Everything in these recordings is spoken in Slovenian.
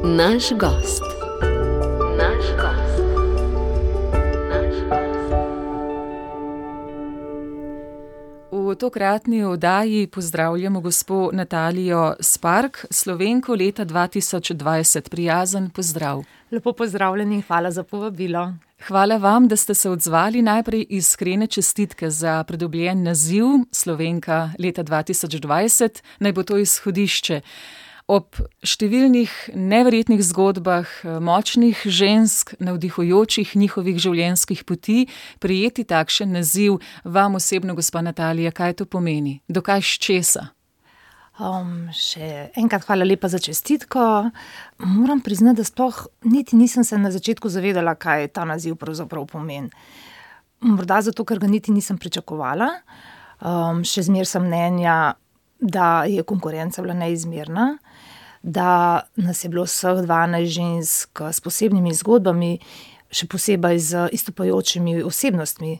Naš gost. Naš gost. Naš gost. V tokratni oddaji pozdravljamo gospo Natalijo Spark, Slovenko leta 2020. Prijazen pozdrav. Lepo pozdravljeni in hvala za povabilo. Hvala vam, da ste se odzvali. Najprej iskrene čestitke za pridobljen naziv Slovenka leta 2020. Naj bo to izhodišče. Ob številnih neverjetnih zgodbah močnih žensk, navdihujočih njihovih življenjskih poti, prejeti takšen naziv vam osebno, gospa Natalija, kaj to pomeni? Dokaj s česa? Še enkrat hvala lepa za čestitko. Moram priznati, da sploh niti nisem se na začetku zavedala, kaj ta naziv pravzaprav pomeni. Morda zato, ker ga niti nisem pričakovala. Še zmeraj sem mnenja, da je konkurenca bila neizmerna, da nas je bilo vseh 12 žensk s posebnimi zgodbami, še posebej z izstopajočimi osebnostmi.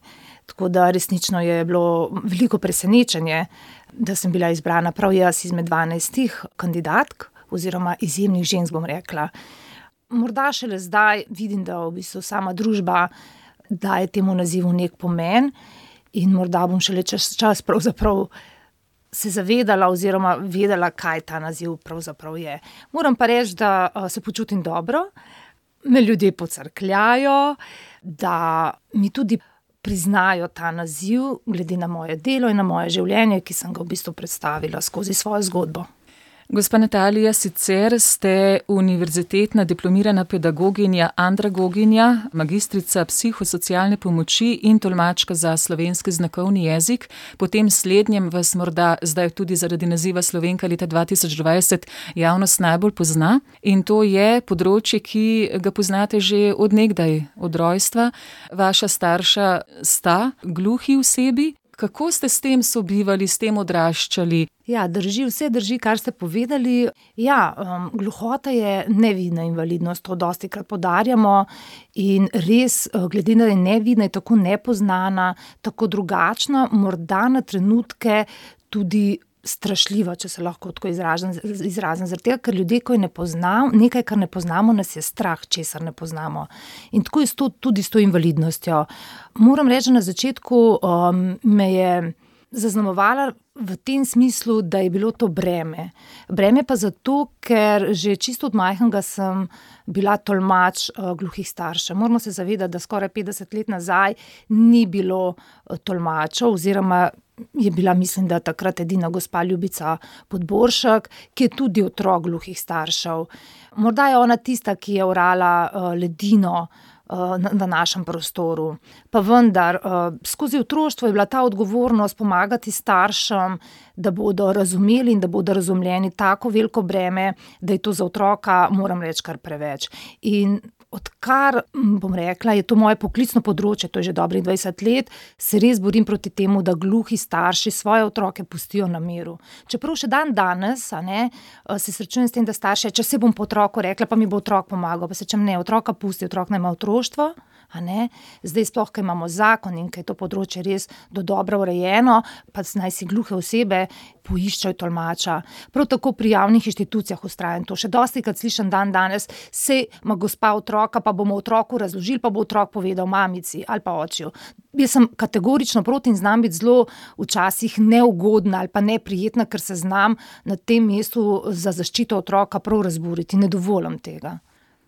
Tako da resnično je bilo veliko presenečenje, da sem bila izbrana prav jaz izmed 12 kandidatk oziroma izjemnih žensk, bom rekla. Morda šele zdaj vidim, da v bistvu sama družba daje temu nazivu nek pomen in morda bom šele čas pravzaprav se zavedala oziroma vedela, kaj ta naziv pravzaprav je. Moram pa reči, da se počutim dobro, me ljudje pocrkljajo, da mi tudi priznajo ta naziv glede na moje delo in na moje življenje, ki sem ga v bistvu predstavila skozi svojo zgodbo. Gospa Natalija, sicer ste univerzitetna diplomirana pedagoginja, andragoginja, magistrica psihosocialne pomoči in tolmačka za slovenski znakovni jezik. Po tem slednjem vas morda zdaj tudi zaradi naziva Slovenka leta 2020 javnost najbolj pozna. In to je področje, ki ga poznate že od nekdaj, od rojstva. Vaša starša sta gluhi osebi. Kako ste s tem sobivali, s tem odraščali? Ja, vse drži, kar ste povedali. Ja, gluhota je nevidna invalidnost, to dostikrat poudarjamo in res, glede na nevidna, je tako nepoznana, tako drugačna, morda na trenutke tudi strašljiva, če se lahko tako izrazim, zaradi tega, ker ljudje, ko nekaj, kar ne poznamo, nas je strah, česar ne poznamo. In tako je tudi s to invalidnostjo. Moram reči, na začetku me je zaznamovala v tem smislu, da je bilo to breme. Breme pa zato, ker že čisto od majhnega sem bila tolmač gluhih staršev. Moramo se zavedati, da skoraj 50 let nazaj ni bilo tolmačev oziroma je bila, mislim, da takrat edina gospa Ljubica Podboršek, ki je tudi otrok gluhih staršev. Morda je ona tista, ki je orala ledino v našem prostoru. Pa vendar, skozi otroštvo je bila ta odgovornost pomagati staršem, da bodo razumeli in da bodo razumljeni tako veliko breme, da je to za otroka, moram reči, kar preveč. In odkar, bom rekla, je to moje poklicno področje, to je že dobrih 20 let, se res borim proti temu, da gluhi starši svoje otroke pustijo na miru. Čeprav še danes, se srečujem s tem, da starši, če se bom po otroku rekla, pa mi bo otrok pomagal, pa se čem ne, otroka pusti, otrok naj ima otroštvo. Zdaj sploh, ko imamo zakon in ko je to področje res do dobro urejeno, pa naj si gluhe osebe poiščajo tolmača. Prav tako pri javnih inštitucijah vztrajam to. Še dostikrat slišim danes, saj ima gospa otroka, pa bomo otroku razložili, pa bo otrok povedal mamici ali pa očiju. Jaz sem kategorično proti in znam biti zelo včasih neugodna ali pa neprijetna, ker se znam na tem mestu za zaščito otroka prav razburiti. Ne dovolim tega.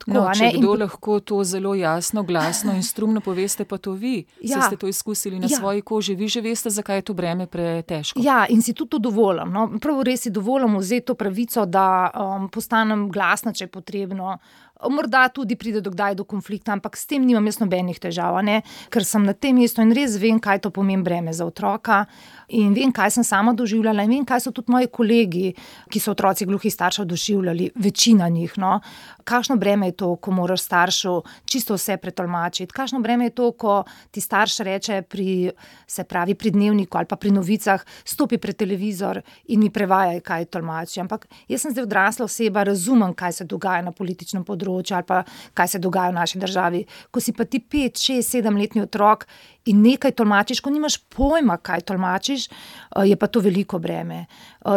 Tako, če kdo lahko to zelo jasno, glasno in strumno poveste, pa to vi. Ja. Ste to izkusili na svoji koži. Vi že veste, zakaj je to breme pretežko. Ja, in si tudi to dovolim. Prav res si dovolim vzeti to pravico, da postanem glasna, če je potrebno. Morda tudi pride do konflikta, ampak s tem nimam jaz nobenih težav, ker sem na tem mestu in res vem, kaj to pomeni breme za otroka in vem, kaj sem sama doživljala in vem, kaj so tudi moji kolegi, ki so otroci gluhih staršev doživljali, večina njih. Kakšno breme je to, ko moraš staršu čisto vse pretolmačiti, kakšno breme je to, ko ti starš reče pri dnevniku ali pa pri novicah, stopi pred televizor in mi prevajaj, kaj tolmači. Ampak jaz sem zdaj odrasla oseba, razumem, kaj se dogaja na političnem področju, področju ali pa kaj se dogaja v naši državi. Ko si pa ti 5, 6, 7-letni otrok in nekaj tolmačiš, ko nimaš pojma, kaj tolmačiš, je pa to veliko breme.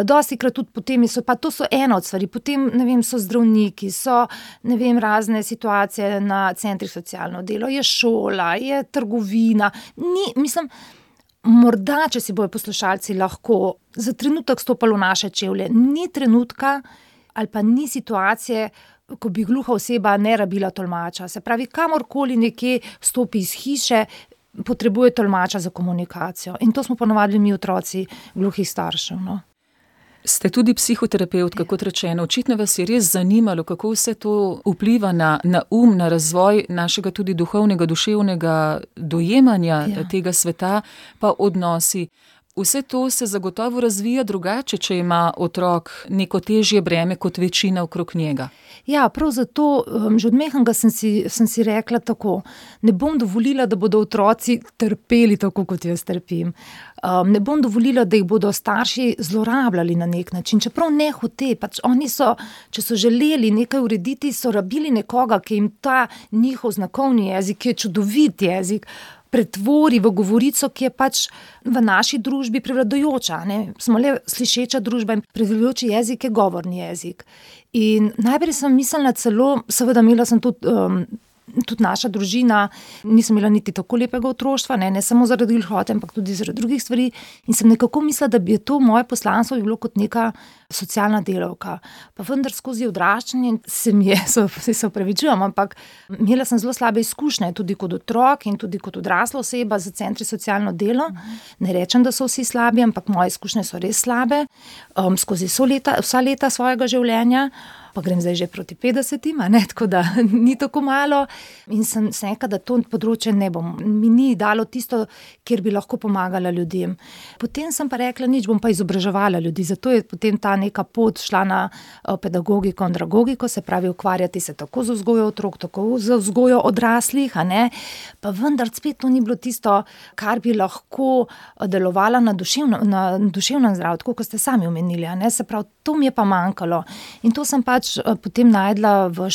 Dostikrat tudi potem pa to so ena od stvari, potem, ne vem, so zdravniki, so, ne vem, razne situacije na centrih socialno delo, je šola, je trgovina, morda, če si bojo poslušalci lahko za trenutek stopali v naše čevlje, ni trenutka ali pa ni situacije, ko bi gluha oseba ne rabila tolmača. Se pravi, kamorkoli nekje stopi iz hiše, potrebuje tolmača za komunikacijo. In to smo ponavadili mi otroci gluhih staršev, no. Ste tudi psihoterapevtka, kot rečeno. Očitno vas je res zanimalo, kako vse to vpliva na na razvoj našega tudi duhovnega, duševnega dojemanja tega sveta, pa odnosi. Vse to se zagotovo razvija drugače, če ima otrok neko težje breme kot večina okrog njega. Ja, prav zato, že od mehanga sem si rekla tako, ne bom dovolila, da bodo otroci trpeli tako, kot jaz trpim. Ne bom dovolila, da jih bodo starši zlorabljali na nek način, čeprav ne hote, pač oni so, če so želeli nekaj urediti, so rabili nekoga, ki jim ta njihov znakovni jezik, ki je čudovit jezik, pretvori v govorico, ki je pač v naši družbi prevladujoča, ne. Smo le slišeča družba in prevladujoči jezik je govorni jezik. In najprej sem mislila celo, seveda imela sem tudi naša družina, nisem imela niti tako lepega otroštva, ne samo zaradi gluhote, ampak tudi zaradi drugih stvari. In sem nekako mislila, da bi to moje poslanstvo bilo kot neka socialna delavka. Pa vendar skozi odraščanje se opravičujem, ampak imela sem zelo slabe izkušnje, tudi kot otrok in tudi kot odrasla oseba za centri socialno delo. Ne rečem, da so vsi slabi, ampak moje izkušnje so res slabe. Skozi vsa leta svojega življenja, pa grem zdaj že proti 50, tako da ni tako malo. In sem rekla, da to področje mi ni dalo tisto, kjer bi lahko pomagala ljudem. Potem sem pa rekla, nič, bom pa izobraževala ljudi, zato je potem ta neka pot šla na pedagogiko, andragogiko, se pravi ukvarjati se tako z vzgojo otrok, tako z vzgojo odraslih, pa vendar spet to ni bilo tisto, kar bi lahko delovala na duševnem zdravju, tako kot ste sami omenili, se pravi, to mi je pa manjkalo. In to sem pač potem najdla v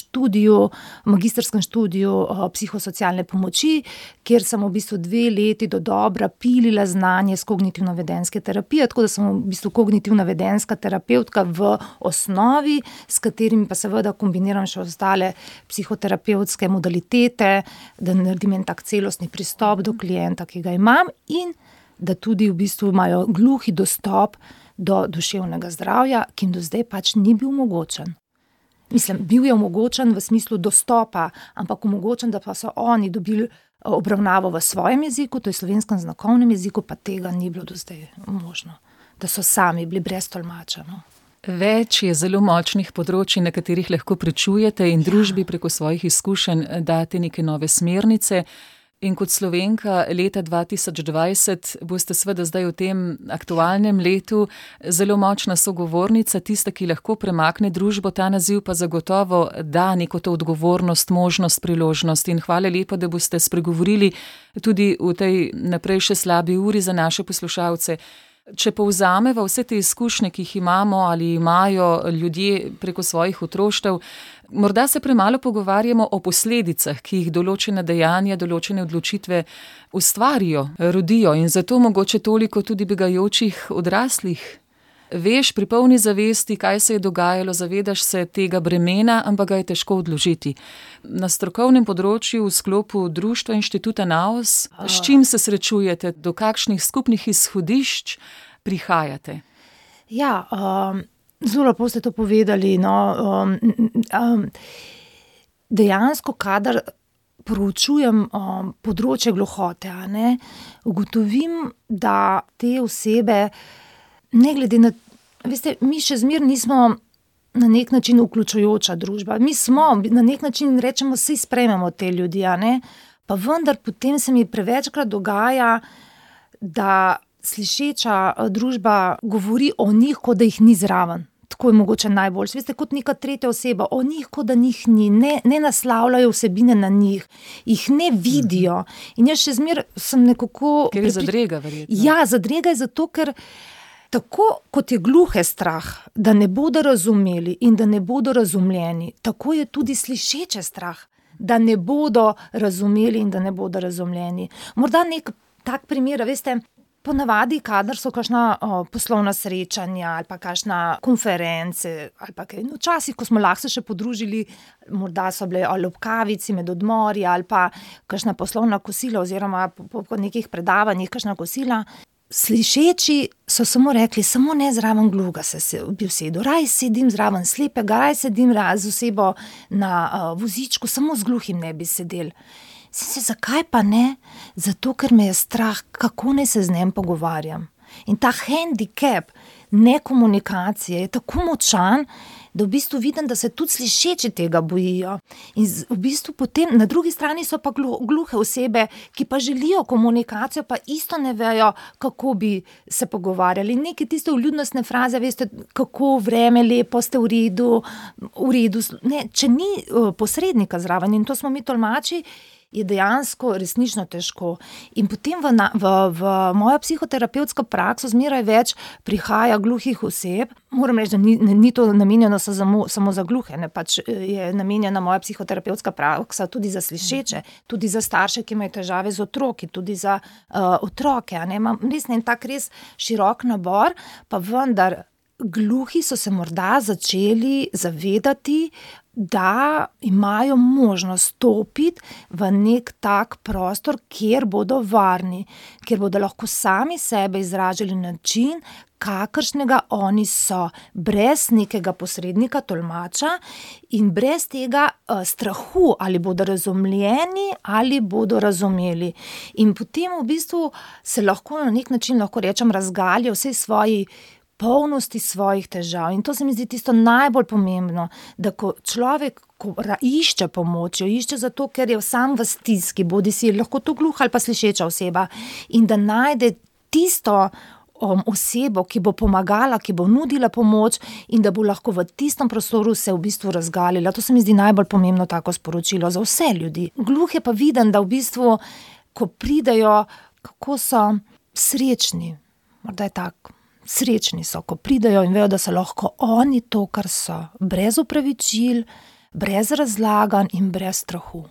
magistrskem študiju psihosocialne pomoči, kjer sem v bistvu 2 leti do dobra pilila znanje z kognitivno-vedenjske terapije, tako da sem v bistvu kognitivno-vedenjska terapevtka v osnovi, s katerimi pa seveda kombiniram še ostale psihoterapevtske modalitete, da naredim en tak celostni pristop do klienta, ki ga imam, in da tudi v bistvu imajo gluhi dostop do duševnega zdravja, ki jim do zdaj pač ni bil omogočen. Mislim, bil je omogočen v smislu dostopa, ampak omogočen, da pa so oni dobili obravnavo v svojem jeziku, to je slovenskem znakovnem jeziku, pa tega ni bilo do zdaj možno. Da so sami bili brez tolmača, no. Več je zelo močnih področij, na katerih lahko pričujete in družbi preko svojih izkušenj date neke nove smernice. In kot Slovenka leta 2020 boste seveda zdaj v tem aktualnem letu zelo močna sogovornica, tista, ki lahko premakne družbo, ta naziv pa zagotovo da neko to odgovornost, možnost, priložnost. In hvala lepa, da boste spregovorili tudi v tej naprej še slabi uri za naše poslušalce. Če povzameva vse te izkušnje, ki jih imamo ali imajo ljudje preko svojih otroštev, morda se premalo pogovarjamo o posledicah, ki jih določene dejanja, določene odločitve ustvarijo, rodijo, in zato mogoče toliko tudi begajočih odraslih. Veš pri polni zavesti, kaj se je dogajalo, zavedaš se tega bremena, ampak ga je težko odložiti. Na strokovnem področju v sklopu društva Inštituta NAOS, s čim se srečujete, do kakšnih skupnih izhodišč prihajate? Ja, zelo lepo ste to povedali, no. Dejansko, kadar proučujem področje gluhote, ugotovim, da te osebe ne glede na, veste, mi še zmeraj nismo na nek način vključujoča družba. Mi smo, na nek način rečemo, saj sprejmemo te ljudi, pa vendar potem se mi prevečkrat dogaja, da slišeča družba govori o njih, kot da jih ni zraven. Tako je mogoče najboljše. Veste, kot neka tretja oseba, o njih, kot da njih ni, ne naslavljajo vsebine na njih, jih ne vidijo. In jaz še zmeraj sem nekako... Ker je zadrega, verjetno. Ja, zadrega je zato, ker Tako kot je gluhe strah, da ne bodo razumeli in da ne bodo razumljeni, tako je tudi slišeče strah, da ne bodo razumeli in da ne bodo razumljeni. Morda nek tak primer, veste, ponavadi, kadar so kakšna poslovna srečanja ali pa kakšna konference ali pa kaj, včasih, ko smo lahko se še podružili, morda so bile ali ob kavici med odmori ali pa kakšna poslovna kosila oziroma po nekih predavanjih kakšna kosila. Slišeči so samo rekli, samo ne zraven gluhega se bi usedel, raj sedim zraven slepega, raj sedim z osebo na vozičku, samo z gluhim ne bi sedel. Zakaj pa ne? Zato, ker me je strah, kako naj se z njim pogovarjam. In ta hendikep nekomunikacije je tako močan, da v bistvu vidim, da se tudi slišeči tega bojijo. In v bistvu potem na drugi strani so pa gluhe osebe, ki pa želijo komunikacijo, pa isto ne vejo, kako bi se pogovarjali. Neke tiste vljudnostne fraze, veste, kako vreme, lepo, ste v redu. Ne, če ni posrednika zraven, in to smo mi tolmači, je dejansko resnično težko. In potem v mojo psihoterapevtsko prakso zmeraj več prihaja gluhih oseb. Moram reči, da ni to namenjeno samo za gluhe, ne, pač je namenjena moja psihoterapevtska praksa tudi za slišeče, tudi za starše, ki imajo težave z otroki, tudi za otroke. Ne. Imam res širok nabor, pa vendar gluhi so se morda začeli zavedati, da imajo možnost stopiti v nek tak prostor, kjer bodo varni, kjer bodo lahko sami sebe izražali na način, kakršnega oni so, brez nekega posrednika, tolmača in brez tega strahu, ali bodo razumljeni ali bodo razumeli. In potem v bistvu se lahko na nek način, lahko rečem, razgalijo vse svoji polnosti svojih težav. In to se mi zdi tisto najbolj pomembno, da ko človek išče pomoč, jo išče zato, ker je sam v stiski, bodi si lahko to gluha ali pa slišeča oseba, in da najde tisto osebo, ki bo pomagala, ki bo nudila pomoč in da bo lahko v tistem prostoru se v bistvu razgalila. To se mi zdi najbolj pomembno tako sporočilo za vse ljudi. Gluhe pa vidim, da v bistvu, ko pridejo, kako so srečni, morda je tako, srečni so, ko pridejo in vejo, da so lahko oni to, kar so, brez opravičil, brez razlaganj in brez strahu.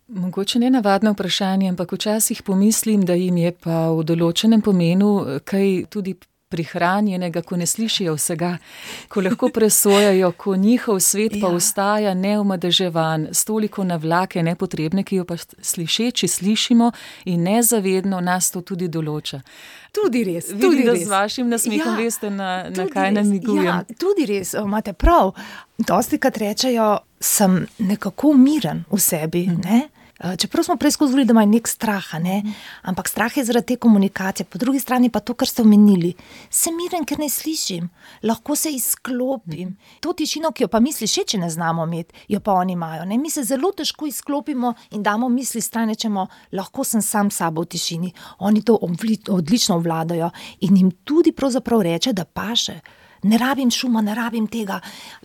Mogoče ne navadno vprašanje, ampak včasih pomislim, da jim je pa v določenem pomenu kaj tudi prihranjenega, ko ne slišijo vsega, ko lahko presojajo, ko njihov svet pa ostaja neomadeževan, s toliko navlake nepotrebne, ki jo pa slišeči slišimo in nezavedno nas to tudi določa. Tudi res. Vidim, da z vašim nasmehom veste, na kaj namigujem. Ja, tudi res, imate prav. Dostikrat rečejo, sem nekako miren v sebi, ne? Čeprav smo prej skozi govorili, da imajo nek strah, ne? Ampak strah je zaradi te komunikacije, po drugi strani pa to, kar ste omenili. Sem miren, ker ne slišim, lahko se izklopim. To tišino, ki jo pa mi slišeči ne znamo imeti, jo pa oni imajo. Ne? Mi se zelo težko izklopimo in damo misli stran, rečemo, lahko sem sam sabo v tišini. Oni to odlično obvladajo in jim tudi pravzaprav reče, da paše. Ne rabim šuma, ne rabim tega.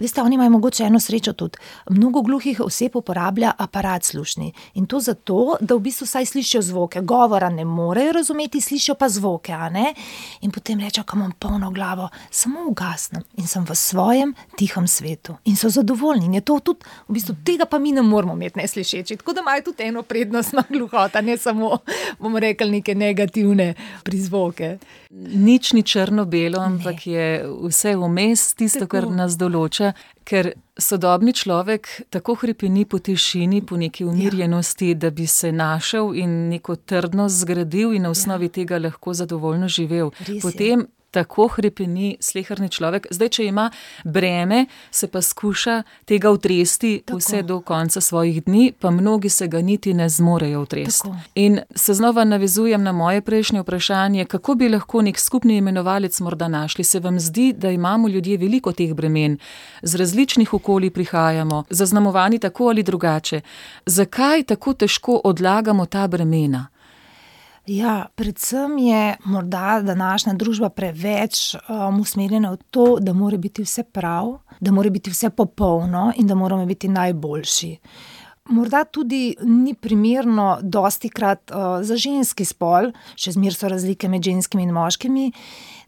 Veste, oni imajo mogoče eno srečo tudi. Mnogo gluhih oseb uporablja aparat slušni. In to zato, da v bistvu saj slišijo zvoke. Govora ne morejo razumeti, slišijo pa zvoke, a ne? In potem rečejo, ko imam polno glavo, samo ugasnem in sem v svojem tihem svetu. In so zadovoljni. In je to tudi, v bistvu tega pa mi ne moramo imeti neslišeči. Tako da imajo tudi eno prednost na gluhota, ne samo, bomo rekli, neke negativne prizvoke. Nič ni črno-belo, ampak je vse vmes, tisto, kar nas določa, ker sodobni človek tako hrepeni po tišini, po neki umirjenosti, da bi se našel in neko trdnost zgradil in na osnovi tega lahko zadovoljno živel. Potem tako hrepeni sleherni človek. Zdaj, če ima breme, se pa skuša tega utresti vse do konca svojih dni, pa mnogi se ga niti ne zmorejo utresti. In se znova navezujem na moje prejšnje vprašanje, kako bi lahko nek skupni imenovalec morda našli. Se vam zdi, da imamo ljudje veliko teh bremen, z različnih okolij prihajamo, zaznamovani tako ali drugače. Zakaj tako težko odlagamo ta bremena? Ja, predvsem je morda današnja družba preveč usmerjena v to, da mora biti vse prav, da mora biti vse popolno in da moramo biti najboljši. morda tudi ni primerno dostikrat za ženski spol, še zmeraj so razlike med ženskimi in moškimi,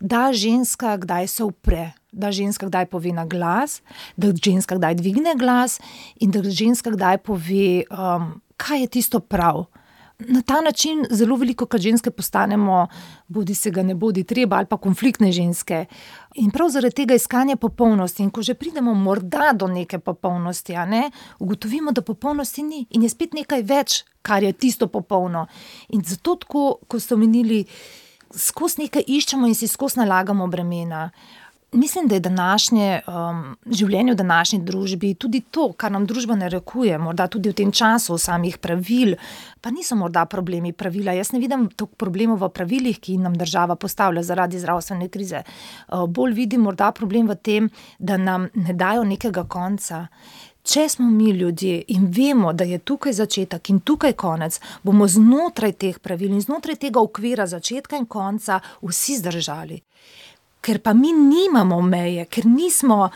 da ženska kdaj se upre, da ženska kdaj pove na glas, da ženska kdaj dvigne glas in da ženska kdaj pove, kaj je tisto prav. Na ta način zelo velikokrat ženske postanemo, bodi se ga ne bodi treba, ali pa konfliktne ženske. In prav zaradi tega iskanja popolnosti. In ko že pridemo morda do neke popolnosti, ugotovimo, da popolnosti ni in je spet nekaj več, kar je tisto popolno. In zato tako, ko ste omenili, skozi nekaj iščemo in si skozi nalagamo bremena. Mislim, da je življenje v današnji družbi tudi to, kar nam družba narekuje, morda tudi v tem času samih pravil, pa niso morda problemi pravila. Jaz ne vidim toliko problemov v pravilih, ki nam država postavlja zaradi zdravstvene krize. Bolj vidim morda problem v tem, da nam ne dajo nekega konca. Če smo mi ljudje in vemo, da je tukaj začetek in tukaj konec, bomo znotraj teh pravil in znotraj tega okvira začetka in konca vsi zdržali. Ker pa mi nimamo meje, ker nismo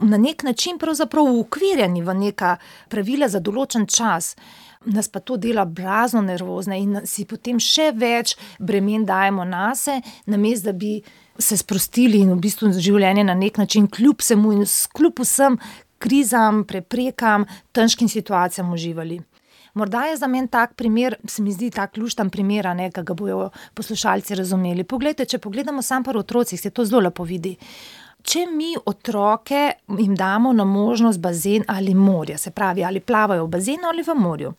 na nek način pravzaprav ukvirjeni v neka pravila za določen čas, nas pa to dela blazno nervozne in si potem še več bremen dajemo nase, namesto da bi se sprostili in v bistvu življenje na nek način kljub vsemu in kljub vsem krizam, preprekam, težkim situacijam uživali. Morda je za meni tak primer, se mi zdi tak luštan primer, ki ga bojo poslušalci razumeli. Poglejte, če pogledamo samo pri otrocih, se to zelo lepo vidi. Če mi otroke jim damo na možnost bazen ali morje, se pravi, ali plavajo v bazenu ali v morju.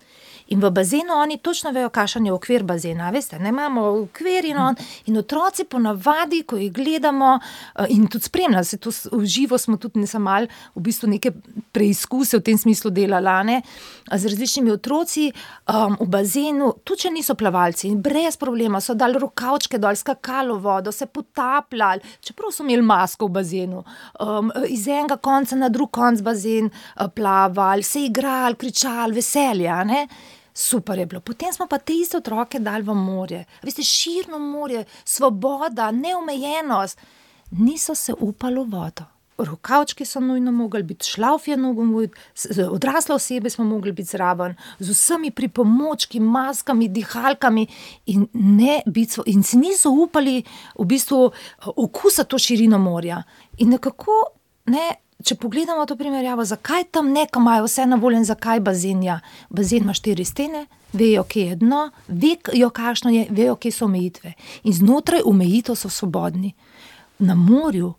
In v bazenu oni točno vejo, kakšen je okvir bazena, veste, ne imamo okvir in otroci ponavadi, ko jih gledamo in tudi spremljamo, se to v živo smo tudi malo v bistvu neke preizkuse v tem smislu delali, z različnimi otroci v bazenu, tudi če niso plavalci in brez problema so dali rokavčke dol, skakali v vodo, se potapljali, čeprav so imeli masko v bazenu, iz enega konca na drug konc bazen plavali, se igrali, kričali, veselja, Super je bilo. Potem smo pa te iste otroke dali v morje. Veste, širno morje, svoboda, neomejenost. Niso se upali v vodo. Rokavčki so nujno mogli biti, šlavf je nujno, odrasle osebe smo mogli biti zraven, z vsemi pripomočki, maskami, dihalkami in si niso upali v bistvu okusati to širino morja. In nekako, če pogledamo to primerjavo, zakaj tam neka imajo vse na voljo in zakaj bazen? Bazen ima 4 stene, vejo, kje je dno, vejo, kakšno je, vejo, kje so omejitve. In znotraj omejitev so svobodni. Na morju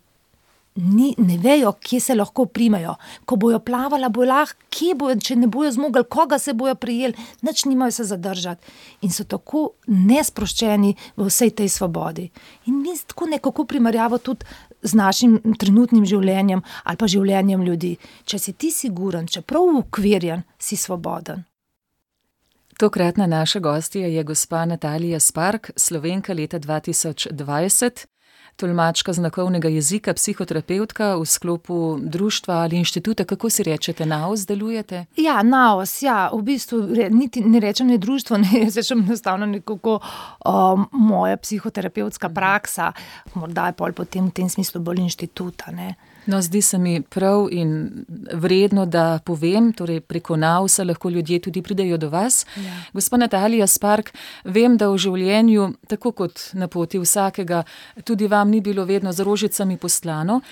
ne vejo, kje se lahko primejo. Ko bojo plavala, bojo lahko, kje bojo, če ne bojo zmogli, koga se bojo prijeli, nič nimajo se zadržati. In so tako nesproščeni v vsej tej svobodi. In mi tako nekako primerjavo tudi z našim trenutnim življenjem ali pa življenjem ljudi. Če si ti siguren, čeprav ukvirjen, si svoboden. Tokratna naša gostja je gospa Natalija Spark, Slovenka leta 2020, tolmačka znakovnega jezika, psihoterapevtka v sklopu društva ali inštituta, kako si rečete, NAOS delujete? Ja, NAOS, v bistvu niti ne rečem ne društvo, jaz rečem enostavno nekako moja psihoterapevtska praksa, morda je potem v tem smislu bolj inštituta, No, zdi se mi prav in vredno, da povem, torej preko NAOS-a lahko ljudje tudi pridejo do vas. Ja. Gospa Natalija Spark, vem, da v življenju, tako kot na poti vsakega, tudi vam ni bilo vedno z rožicami postlano,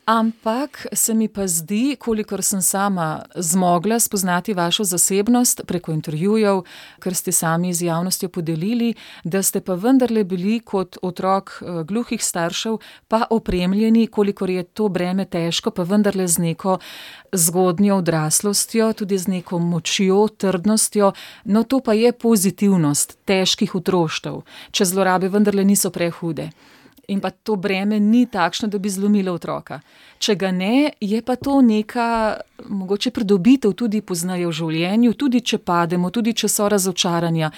ampak se mi pa zdi, kolikor sem sama zmogla spoznati vašo zasebnost preko intervjujev, kar ste sami z javnostjo podelili, da ste pa vendarle bili kot otrok gluhih staršev pa opremljeni, kolikor je to breme težko, pa vendarle z neko zgodnjo odraslostjo, tudi z neko močjo, trdnostjo, no to pa je pozitivnost težkih otroštev, če zlorabe vendarle niso prehude. In pa to breme ni takšno, da bi zlomilo otroka. Če ga ne, je pa to neka mogoče pridobitev tudi pozneje v življenju, tudi če pademo, tudi če so razočaranja.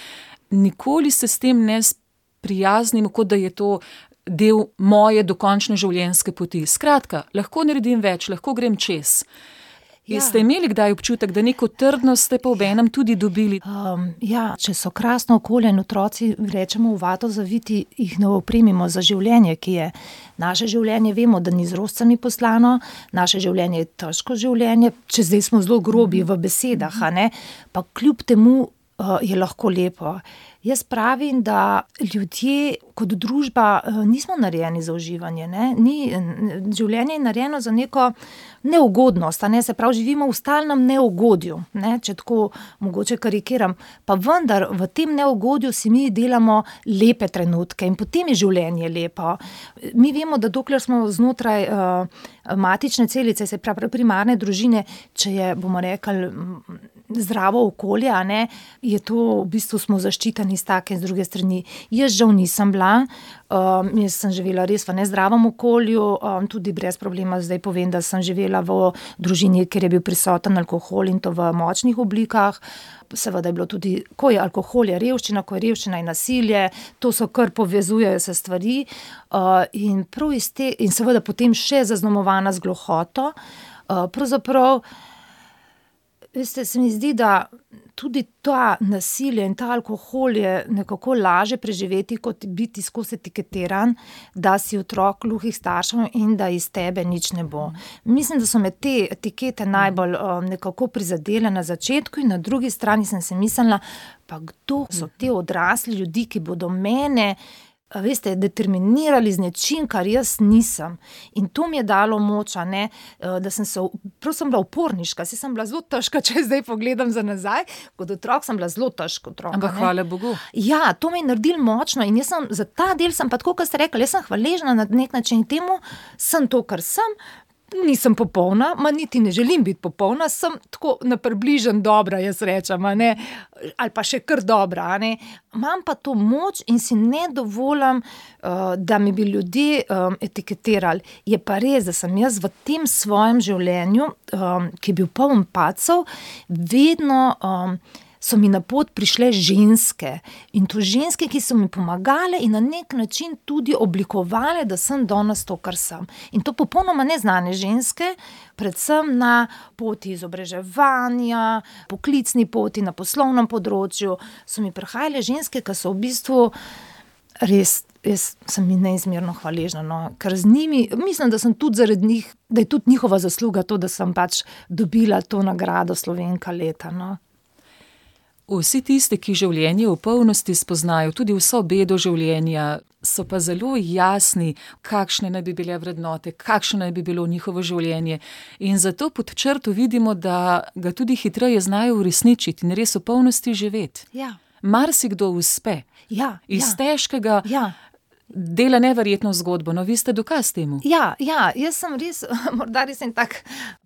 Nikoli se s tem ne sprijaznimo, kot da je to del moje dokončne življenjske poti. Skratka, lahko naredim več, lahko grem čez. Ste imeli kdaj občutek, da neko trdnost ste pa obenem tudi dobili? Če so krasno okolje in otroci, rečemo, v vato zaviti, jih ne opremimo za življenje, ki je naše življenje. Vemo, da ni z rožcami poslano, naše življenje je težko življenje, če zdaj smo zelo grobi v besedah, pa kljub temu je lahko lepo. Jaz pravim, da ljudje kot družba nismo narejeni za uživanje. Življenje je narejeno za neko neugodnost, se pravi, živimo v stalnem neugodju, če tako mogoče karikiram. Pa vendar v tem neugodju si mi delamo lepe trenutke in potem je življenje lepo. Mi vemo, da dokler smo znotraj matične celice, se pravi primarne družine, če je, bomo rekli, zdravo okolje, je to, v bistvu smo zaščiteni s take in z druge strani. Jaz žal nisem bila, jaz sem živela res v nezdravem okolju, tudi brez problema zdaj povem, da sem živela v družini, kjer je bil prisoten alkohol in to v močnih oblikah. Seveda je bilo tudi, ko je alkohol, je revščina, ko je revščina in nasilje, to so kar povezujejo se stvari in prav iz te, in seveda potem še zaznamovana z gluhoto. Pravzaprav, veste, se mi zdi, da tudi ta nasilje in ta alkohol je nekako laže preživeti, kot biti skozi etiketiran, da si otrok gluhih staršev in da iz tebe nič ne bo. Mislim, da so me te etikete najbolj nekako prizadele na začetku in na drugi strani sem si mislila, pa kdo so te odrasli ljudi, ki bodo mene, veste, determinirali z nečim, kar jaz nisem. In to mi je dalo moč, da sem bila uporniška, sem bila zelo težka, če zdaj pogledam za nazaj, kot otrok sem bila zelo težka otrok. Ampak hvala Bogu. Ja, to me je naredilo močno in jaz sem, za ta del sem pa tako, kot ste rekli, jaz sem hvaležna na nek način temu, sem to, kar sem. Nisem popolna, niti ne želim biti popolna, sem tako na približen dobra, jaz rečem, ali pa še kar dobra. Imam pa to moč in si ne dovolim, da mi bi ljudje etiketirali. Je pa res, da sem jaz v tem svojem življenju, ki je bil poln padcev, vedno so mi na pot prišle ženske. In to ženske, ki so mi pomagale in na nek način tudi oblikovale, da sem danes to, kar sem. In to popolnoma neznane ženske, predvsem na poti izobraževanja, poklicni poti, na poslovnem področju, so mi prihajale ženske, ki so v bistvu res, jaz sem jim neizmerno hvaležna, ker z njimi, mislim, da sem tudi zaradi njih, da je tudi njihova zasluga to, da sem pač dobila to nagrado Slovenka leta, Vsi tisti, ki življenje v polnosti spoznajo, tudi vso bedo življenja, so pa zelo jasni, kakšne naj bi bile vrednote, kakšno naj bi bilo njihovo življenje. In zato pod črto vidimo, da ga tudi hitreje znajo uresničiti in res v polnosti živeti. Ja. Marsikdo uspe. Iz težkega dela neverjetno zgodbo, vi ste dokaz temu. Ja, jaz sem res, morda res en tak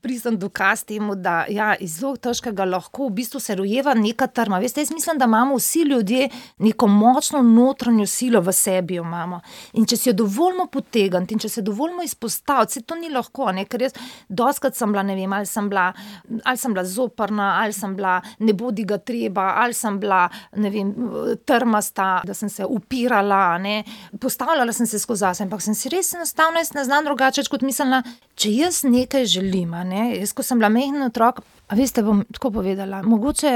pristen dokaz temu, da iz zelo težkega lahko v bistvu se rojeva neka trma. Veste, jaz mislim, da imamo vsi ljudje neko močno notranjo silo v sebi, jo imamo. In če si jo dovolimo potegniti in če se dovolimo izpostaviti, se to ni lahko, ker jaz dostikrat sem bila, ne vem, ali sem bila zoprna, ali sem bila ne bodi ga treba, ali sem bila, ne vem, trmasta, da sem se upirala, postavljala sem se skozi zase, ampak sem si res enostavno, jaz ne znam drugače, kot mislila, če jaz nekaj želim, jaz, ko sem bila majhen otrok, veste, bom tako povedala, mogoče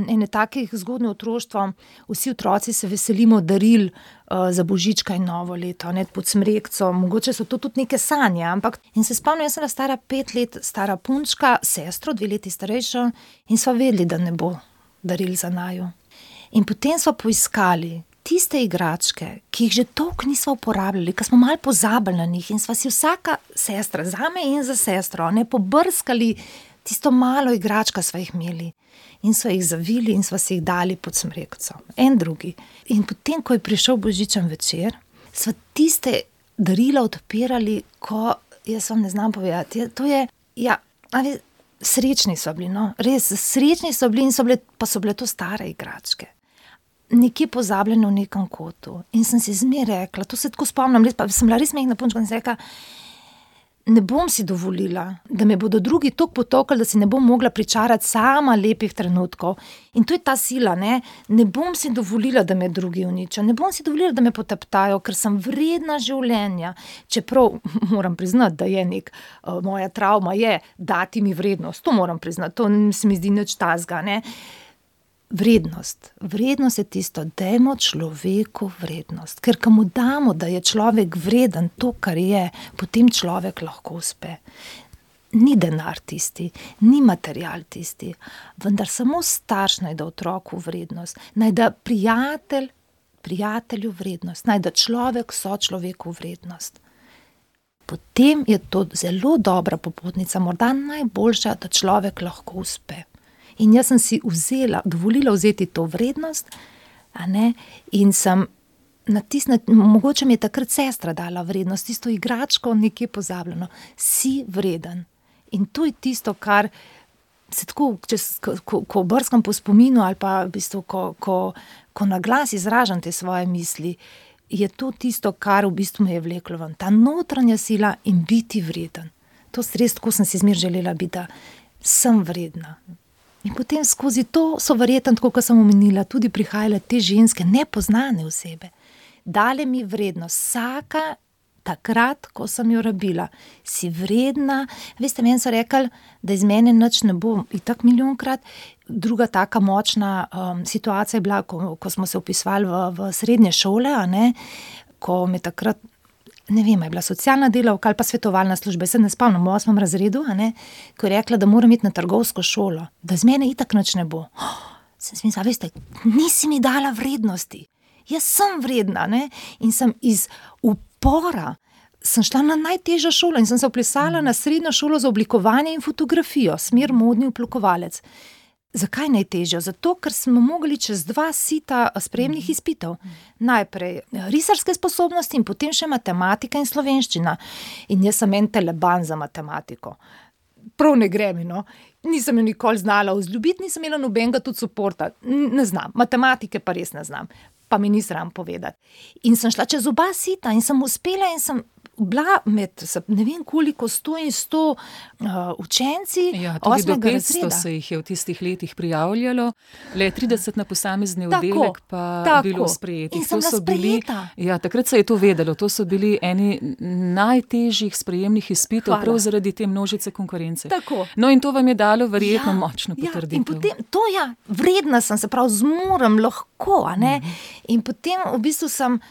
ene takih zgodnje otroštvo, vsi otroci se veselimo daril za božička in novo leto, pod smrekco, mogoče so to tudi neke sanje, ampak, in se spomnim, jaz sem bila stara 5 let, stara punčka, sestro, 2 leti starejšo, in sva vedeli, da ne bo daril za naju. In potem sva poiskali tiste igračke, ki jih že toliko nismo uporabljali, ker smo malo pozabili na njih in sva si vsaka sestra, zame in za sestro, pobrskali tisto malo igračka sva jih imeli in sva jih zavili in sva si jih dali pod smrekco. En drugi. In potem, ko je prišel božičen večer, sva tiste darila odpirali, ko, jaz vam ne znam povedati, to je, srečni so bili, res, srečni so bili in pa so bile to stare igračke. Nekje pozabljeno v nekem kotu. In sem si zmeraj rekla, to se tako spomnim, pa sem bila res majhna punčka in sem rekla, ne bom si dovolila, da me bodo drugi toliko potokali, da si ne bom mogla pričarati sama lepih trenutkov. In to je ta sila, ne bom si dovolila, da me drugi uničijo, ne bom si dovolila, da me poteptajo, ker sem vredna življenja. Čeprav moram priznati, da je moja travma je dati mi vrednost, to moram priznati, to se mi zdi nič tazga, ne. Vrednost je tisto, dajmo človeku vrednost, ker ko mu damo, da je človek vreden to, kar je, potem človek lahko uspe. Ni denar tisti, ni material tisti, vendar samo starš naj da otroku vrednost, naj da prijatelju vrednost, naj da človek sočloveku vrednost. Potem je to zelo dobra popotnica, morda najboljša, da človek lahko uspe. In jaz sem si dovolila vzeti to vrednost, in sem mogoče mi je takrat sestra dala vrednost, tisto igračko nekje pozabljeno. Si vreden. In to je tisto, kar se tako, ko brskam po spominu ali pa v bistvu, ko na glas izražam te svoje misli, je to tisto, kar v bistvu me je vleklo ven. Ta notranja sila in biti vreden. To res, tako sem si zmer želela biti, da sem vredna. In potem skozi to so verjetno, tako kot sem omenila, tudi prihajale te ženske, nepoznane osebe. Dale mi vrednost, vsaka takrat, ko sem jo rabila. Si vredna. Veste, meni so rekli, da iz mene nič ne bo, itak milijonkrat. Druga taka močna situacija je bila, ko smo se vpisovali v srednje šole, ko me takrat, ne vem, je bila socialna delavka ali pa svetovalna služba, se ne spomnim, v 8. razredu, ko je rekla, da moram iti na trgovsko šolo, da z mene itak nič ne bo. Sem si mislila, veste, nisi mi dala vrednosti. Jaz sem vredna, in sem iz upora, sem šla na najtežjo šolo in sem se vpisala na srednjo šolo za oblikovanje in fotografijo, smer modni oblikovalec. Zakaj najtežjo? Zato, ker smo mogli čez 2 sita sprejemnih izpitov. Najprej risarske sposobnosti in potem še matematika in slovenščina. In jaz sem en teleban za matematiko. Prav ne gre mi, no. Nisem jo nikoli znala vzljubiti, nisem imela nobenega tudi suporta. Ne znam, matematike pa res ne znam. Pa mi ni sram povedati. In sem šla čez 2 sita in sem uspela in sem bila med, ne vem koliko, 100 in 100 učenci 8. razreda. Tudi do 500 se jih je v tistih letih prijavljalo, le 30 na posamezni oddelek pa bilo sprejetih. In sem bila sprejeta. Takrat se je to vedelo, to so bili eni najtežjih sprejemnih izpitov, prav zaradi te množice konkurence. Tako. No, in to vam je dalo verjetno močno potrditev. In potem, vredna sem, se pravi, zmorem lahko, In potem v bistvu sem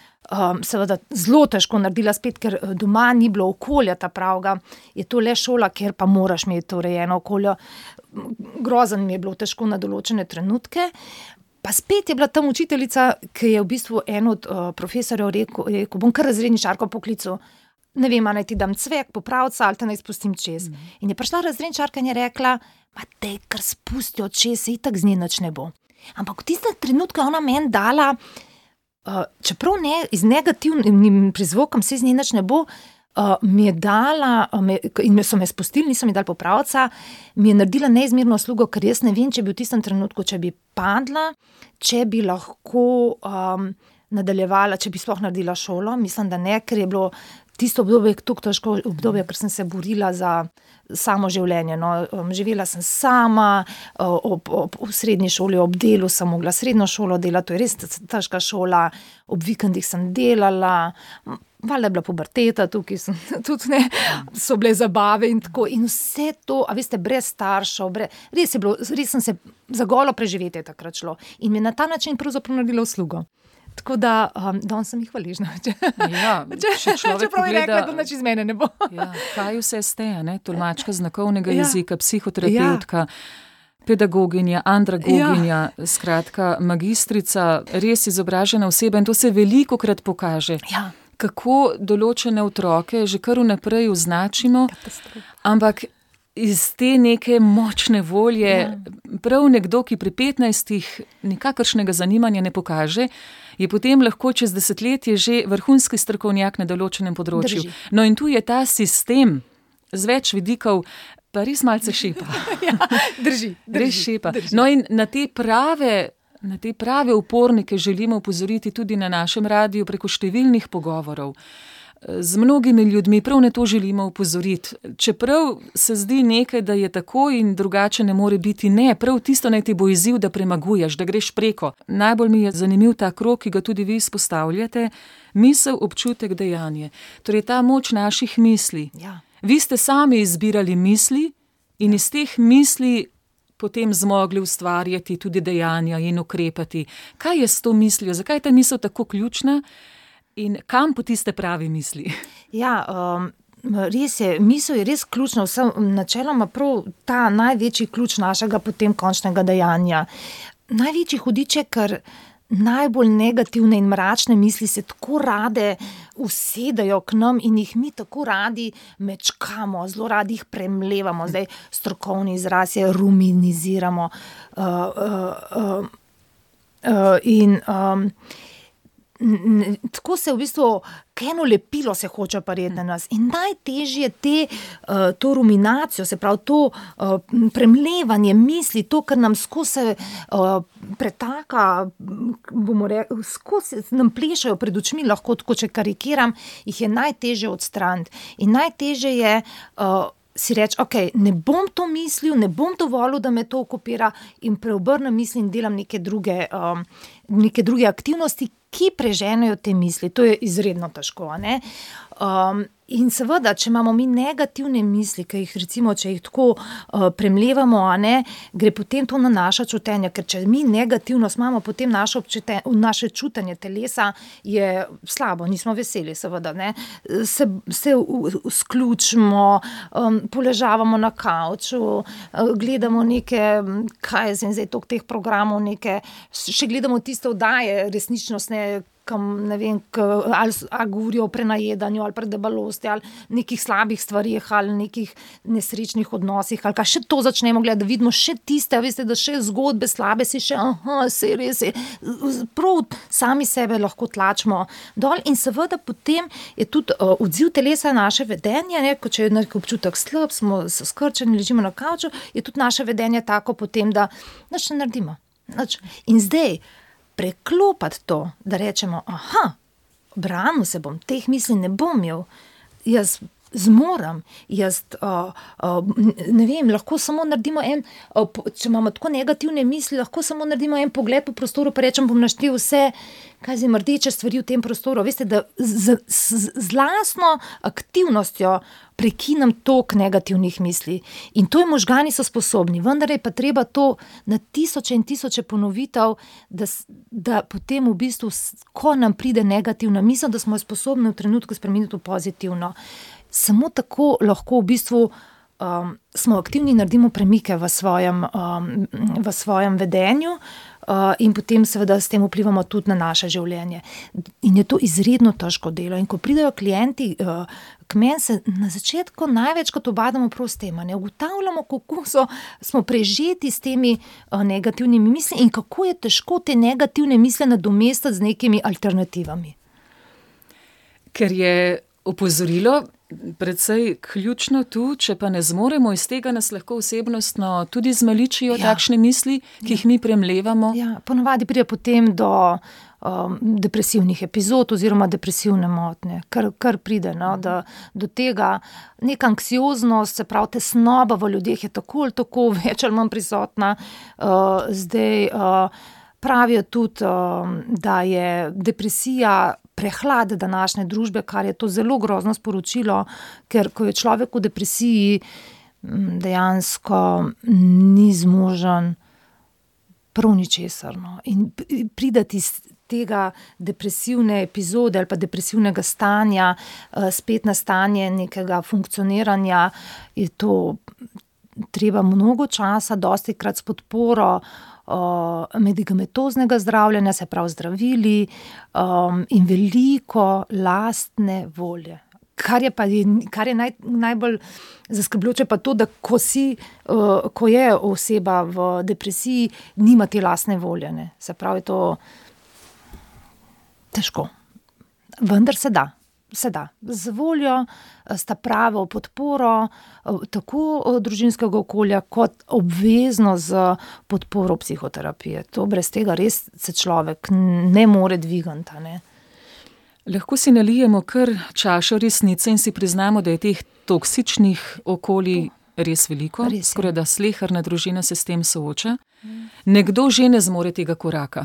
seveda zelo težko naredila spet, ker doma ni bilo okolja ta pravga. Je to le šola, kjer pa moraš imeti urejeno okolje. Grozen mi je bilo težko na določene trenutke. Pa spet je bila tam učiteljica, ki je v bistvu en od profesorjev rekel, bom kar razredničarko poklical. Ne vem, naj ti dam cvek, popravca ali te naj spustim čez. In je prišla razredničarka in je rekla, daj kar spusti od čez, se itak z nje nič ne bo. Ampak v tistem trenutku je ona meni dala, čeprav ne z negativnim prizvokom, se z nje nič ne bo, mi je dala, in so me spustili, niso mi dali popravca, mi je naredila neizmerno uslugo, ker jaz ne vem, če bi v tistem trenutku, če bi padla, če bi lahko nadaljevala, če bi sploh naredila šolo. Mislim, da ne, ker je bilo tisto obdobje tako težko obdobje, ker sem se borila za samo življenje. No. Živela sem sama, v srednji šoli, ob delu sem mogla srednjo šolo delati, to je res težka šola, ob vikendih sem delala, valjda je bila puberteta, tukaj sem tudi so bile zabave in tako. In vse to, a veste, brez staršev, res sem se za golo preživetje takrat šlo. In mi na ta način pravzaprav naredila uslugo. Tako da, danes sem jih hvaležna. Čeprav je rekla, da nič iz mene ne bo. Kaj vse ste, tolmačka znakovnega jezika, psihoterapeutka, pedagoginja, andragoginja, skratka, magistrica, res izobražena oseba in to se velikokrat pokaže. Kako določene otroke že kar vnaprej označimo, ampak iz te neke močne volje, prav nekdo, ki pri 15 nikakršnega zanimanja ne pokaže, je potem lahko čez desetletje že vrhunski strokovnjak na določenem področju. No in tu je ta sistem z več vidikov, pa res malce šepa. Drži. Res šepa. No in na te prave upornike želimo opozoriti tudi na našem radiju preko številnih pogovorov. Z mnogimi ljudmi prav na to želimo opozoriti. Čeprav se zdi nekaj, da je tako in drugače ne more biti, ne, prav tisto naj ti bo izziv, da premaguješ, da greš preko. Najbolj mi je zanimiv ta krog, ki ga tudi vi izpostavljate, misel, občutek, dejanje. Torej ta moč naših misli. Ja. Vi ste sami izbirali misli in iz teh misli potem zmogli ustvarjati tudi dejanja in ukrepati. Kaj je s to mislijo? Zakaj je ta misel tako ključna? In kam poti ste pravi misli? Ja, res je, misel je res ključna, načeloma prav ta največji ključ našega potem končnega dejanja. Največji hudič je, ker najbolj negativne in mračne misli se tako rade usedajo k nam in jih mi tako radi mečkamo, zelo radi jih premlevamo. Zdaj strokovni izraz je ruminiziramo. Tako se v bistvu eno lepilo se hoče pareti na nas in najtežje to ruminacijo, se pravi to premlevanje misli, to, kar nam skozi pretaka, bomo rekli, skozi nam plešajo pred očmi, lahko tako, če karikiram, jih je najtežje odstraniti. In najtežje je si reči, ok, ne bom to mislil, ne bom dovolil, da me to okupira in preobrnem misli in delam neke druge aktivnosti, ki preženejo te misli. To je izredno težko, a ne? In seveda, če imamo mi negativne misli, ki jih recimo, če jih tako premlevamo, a ne, gre potem to na naša čutenja, ker če mi negativnost imamo, potem naše čutenje telesa je slabo, nismo veseli, seveda, ne. Se sključimo, poležavamo na kavču, gledamo neke, kaj je zdaj toliko teh programov, še gledamo tiste oddaje resničnostne, ne vem, ali govorijo o prenajedanju, ali predebalosti, ali nekih slabih stvarih, ali nekih nesrečnih odnosih, ali kaj še to začnemo gledati, da vidimo še tiste, veste, da še zgodbe slabe si še, saj res je, prav sami sebe lahko tlačimo dol in seveda potem je tudi odziv telesa naše vedenje, ne, ko če je nek občutek slab, smo skrčeni, ležimo na kavču, je tudi naše vedenje tako potem, da nič ne naredimo. In zdaj, preklopati to, da rečemo, branil se bom, teh misli ne bom imel, jaz zmorem, ne vem, lahko samo naredimo če imamo tako negativne misli, lahko samo naredimo en pogled po prostoru, pa rečem, bom naštel vse, kaj zdaj rdeče stvari v tem prostoru. Veste, da z lastno aktivnostjo prekinem tok negativnih misli. In to je možgani so sposobni, vendar je pa treba to na tisoče in tisoče ponovitev, da potem v bistvu, ko nam pride negativna misel, da smo jo sposobni v trenutku spremeniti v pozitivno. Samo tako lahko v bistvu smo aktivni in naredimo premike v svojem vedenju in potem seveda s tem vplivamo tudi na naše življenje. In je to izredno težko delo. In ko pridejo klienti k meni, se na začetku največkrat ubadamo prav s tem, ne ugotavljamo, kako smo prežeti s temi negativnimi misli in kako je težko te negativne misli nadomestiti z nekimi alternativami. Ker je opozorilo predvsej ključno tu, če pa ne zmoremo, iz tega nas lahko osebnostno tudi zmaličijo takšne misli, ki jih mi premlevamo. Ja, ponavadi pride potem do depresivnih epizod oziroma depresivne motnje, kar pride, no, do tega. Neka anksioznost, se pravi tesnoba v ljudeh je tako ali tako več ali manj prisotna. Zdaj pravijo tudi, da je depresija prehlad današnje družbe, kar je to zelo grozno sporočilo, ker ko je človek v depresiji, dejansko ni zmožen prav ničesar. No. In pridati iz tega depresivne epizode ali pa depresivnega stanja spet na stanje nekega funkcioniranja, je to treba mnogo časa, dostikrat s podporo medikamentoznega zdravljenja, se pravi zdravili, in veliko lastne volje. Kar je najbolj zaskrbljujoče pa to, da ko je oseba v depresiji, nima te lastne volje, ne. Se pravi, to težko. Vendar se da. Z voljo, s ta pravo podporo, tako družinskega okolja, kot obvezno z podporo psihoterapije. To brez tega res se človek ne more dvigati, ne. Lahko si nalijemo kar čašo resnice in si priznamo, da je teh toksičnih okolij res veliko, skoraj da sleherna družina se s tem sooča. Nekdo že ne zmore tega koraka,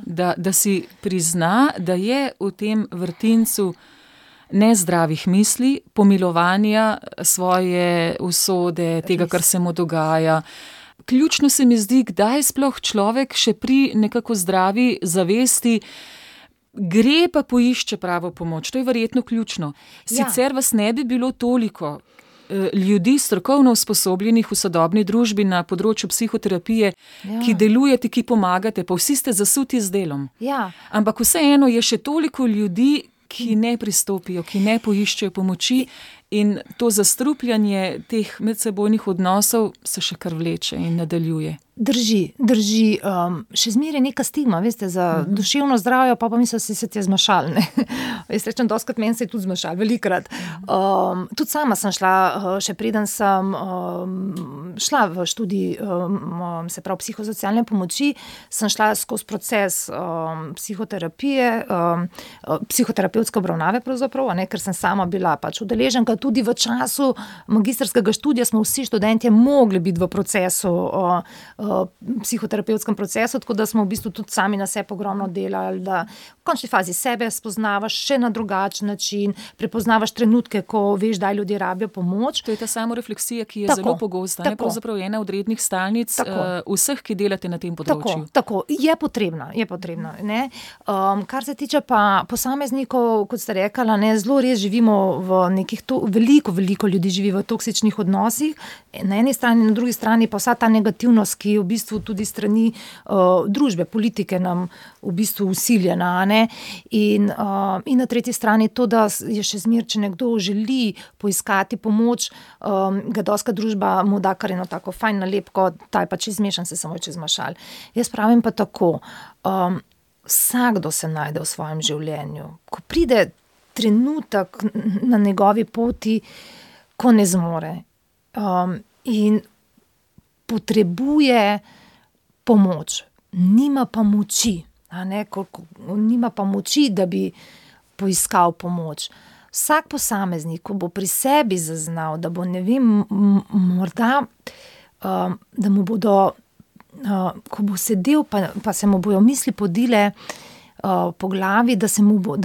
da si prizna, da je v tem vrtincu nezdravih misli, pomilovanja svoje usode, tega, kar se mu dogaja. Ključno se mi zdi, kdaj sploh človek še pri nekako zdravi zavesti gre pa poišče pravo pomoč. To je verjetno ključno. Sicer vas ne bi bilo toliko ljudi strokovno usposobljenih v sodobni družbi na področju psihoterapije, ki delujete, ki pomagate, pa vsi ste zasuti z delom. Ampak vseeno je še toliko ljudi, ki ne pristopijo, ki ne poiščejo pomoči in to zastrupljanje teh medsebojnih odnosov se še kar vleče in nadaljuje. Drži. Še zmeraj neka stigma, veste, za duševno zdravje, pa mislim, da se ti je zmašal, ne. Jaz rečem, dostikrat meni se je tudi zmašal, velikokrat. Tudi sama sem šla, še preden sem šla v študij, se pravi psihosocialne pomoči, sem šla skozi proces psihoterapije, psihoterapevtske obravnave pravzaprav, ne, ker sem sama bila pač udeleženka. Tudi v času magistrskega študija smo vsi študentje mogli biti v procesu, psihoterapevtskem procesu, tako da smo v bistvu tudi sami na sebi ogromno delali, da v končni fazi sebe spoznavaš še na drugačen način, prepoznavaš trenutke, ko veš, da ljudje rabijo pomoč. To je ta samorefleksija, ki je zelo pogosta, ne, pravzaprav ena od rednih stalnic vseh, ki delate na tem področju. Tako, je potrebna, ne. Kar se tiče pa posameznikov, kot ste rekla, ne, zelo res živimo v nekih veliko ljudi živi v toksičnih odnosih, na eni strani, na drugi strani pa vsa ta negativnost, ki v bistvu tudi strani družbe, politike nam v bistvu vsiljena, ne. In na tretji strani to, da je še zmeraj, če nekdo želi poiskati pomoč, ga dostikrat družba mu da kar eno tako fajn nalepko, ta je pa čez zmešan, se samo čez mašal. Jaz pravim pa tako, vsakdo se najde v svojem življenju. Ko pride trenutek na njegovi poti, ko ne zmore, in potrebuje pomoč, nima pa moči, nima pa moči, da bi poiskal pomoč. Vsak posameznik, ko bo pri sebi zaznal, da bo, ne vem, morda, da mu bodo, ko bo sedel, pa se mu bojo misli podile po glavi, da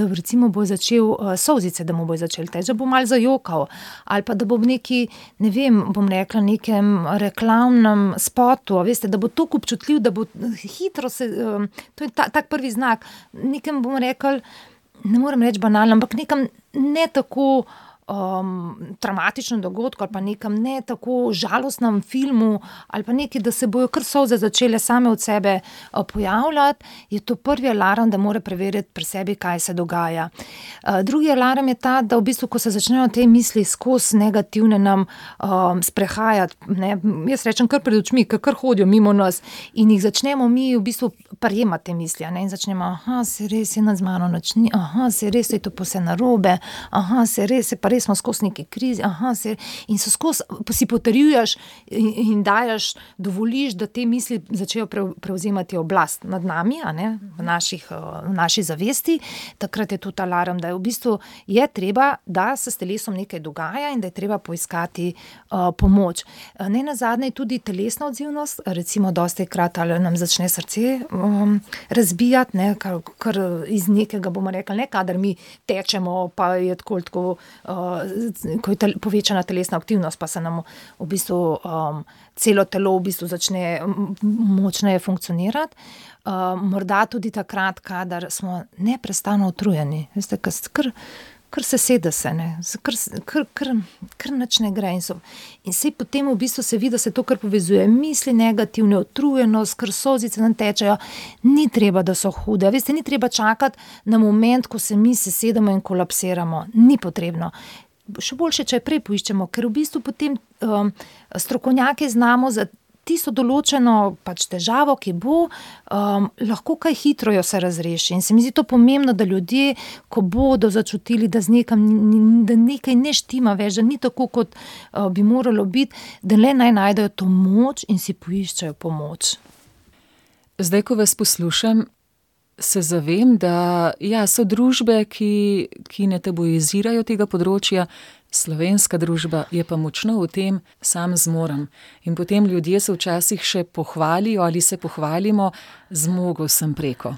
recimo bo začel solzice, da mu bo začel teči, da bo malo zajokal, ali pa da bo v neki, ne vem, bom rekla, nekem reklamnem spotu, veste, da bo toliko občutljiv, da bo hitro se, to je tak prvi znak, nekem, bom rekla, ne morem reči banalno, ampak nekem ne tako traumatičnem dogodku ali pa nekem ne tako žalostnem filmu ali pa nekaj, da se bojo kar solze začele same od sebe pojavljati, je to prvi alarm, da mora preveriti pri sebi, kaj se dogaja. Drugi alarm je ta, da v bistvu, ko se začnejo te misli skozi negativne nam sprehajati, ne, jaz rečem kar pred očmi, kar hodijo mimo nas in jih začnemo mi v bistvu prijemati te misli, ne, in začnemo, se res je nad z mano nič ni, se res je to vse narobe, se res je pa res smo skozi neki krizi, in so skozi, si potrjuješ in daješ, dovoliš, da te misli začejo prevzemati oblast nad nami, v naši zavesti, takrat je tudi alarm, da je v bistvu je treba, da se s telesom nekaj dogaja in da je treba poiskati pomoč. Nenazadnje je tudi telesna odzivnost, recimo dostikrat ali nam začne srce razbijati, ne, kar iz nekega, bomo rekli, ne, kadar mi tečemo, pa je tako ko je povečana telesna aktivnost, pa se nam v bistvu celo telo v bistvu začne močneje funkcionirati. Morda tudi takrat, kadar smo neprestano utrujeni, veste, kar se sede se, ne, kar nič ne gre in se potem v bistvu se vidi, da se to kar povezuje, misli negativne, utrujenost, kar solzice nam tečejo, ni treba, da so hude, veste, ni treba čakati na moment, ko se mi sesedemo in kolapsiramo, ni potrebno. Še boljše, če prej poiščemo, ker v bistvu potem strokovnjaki znamo za tisto določeno pač težavo, ki bo, lahko kaj hitro jo se razreši. In se mi zdi to pomembno, da ljudje, ko bodo začutili, da da nekaj ne štima več, da ni tako, kot bi moralo biti, da le naj najdejo to moč in si poiščejo pomoč. Zdaj, ko vas poslušam, se zavem, da so družbe, ki ne tabuizirajo tega področja, slovenska družba je pa močno v tem, sam zmorem. In potem ljudje se včasih še pohvalijo ali se pohvalimo, zmogel sem preko.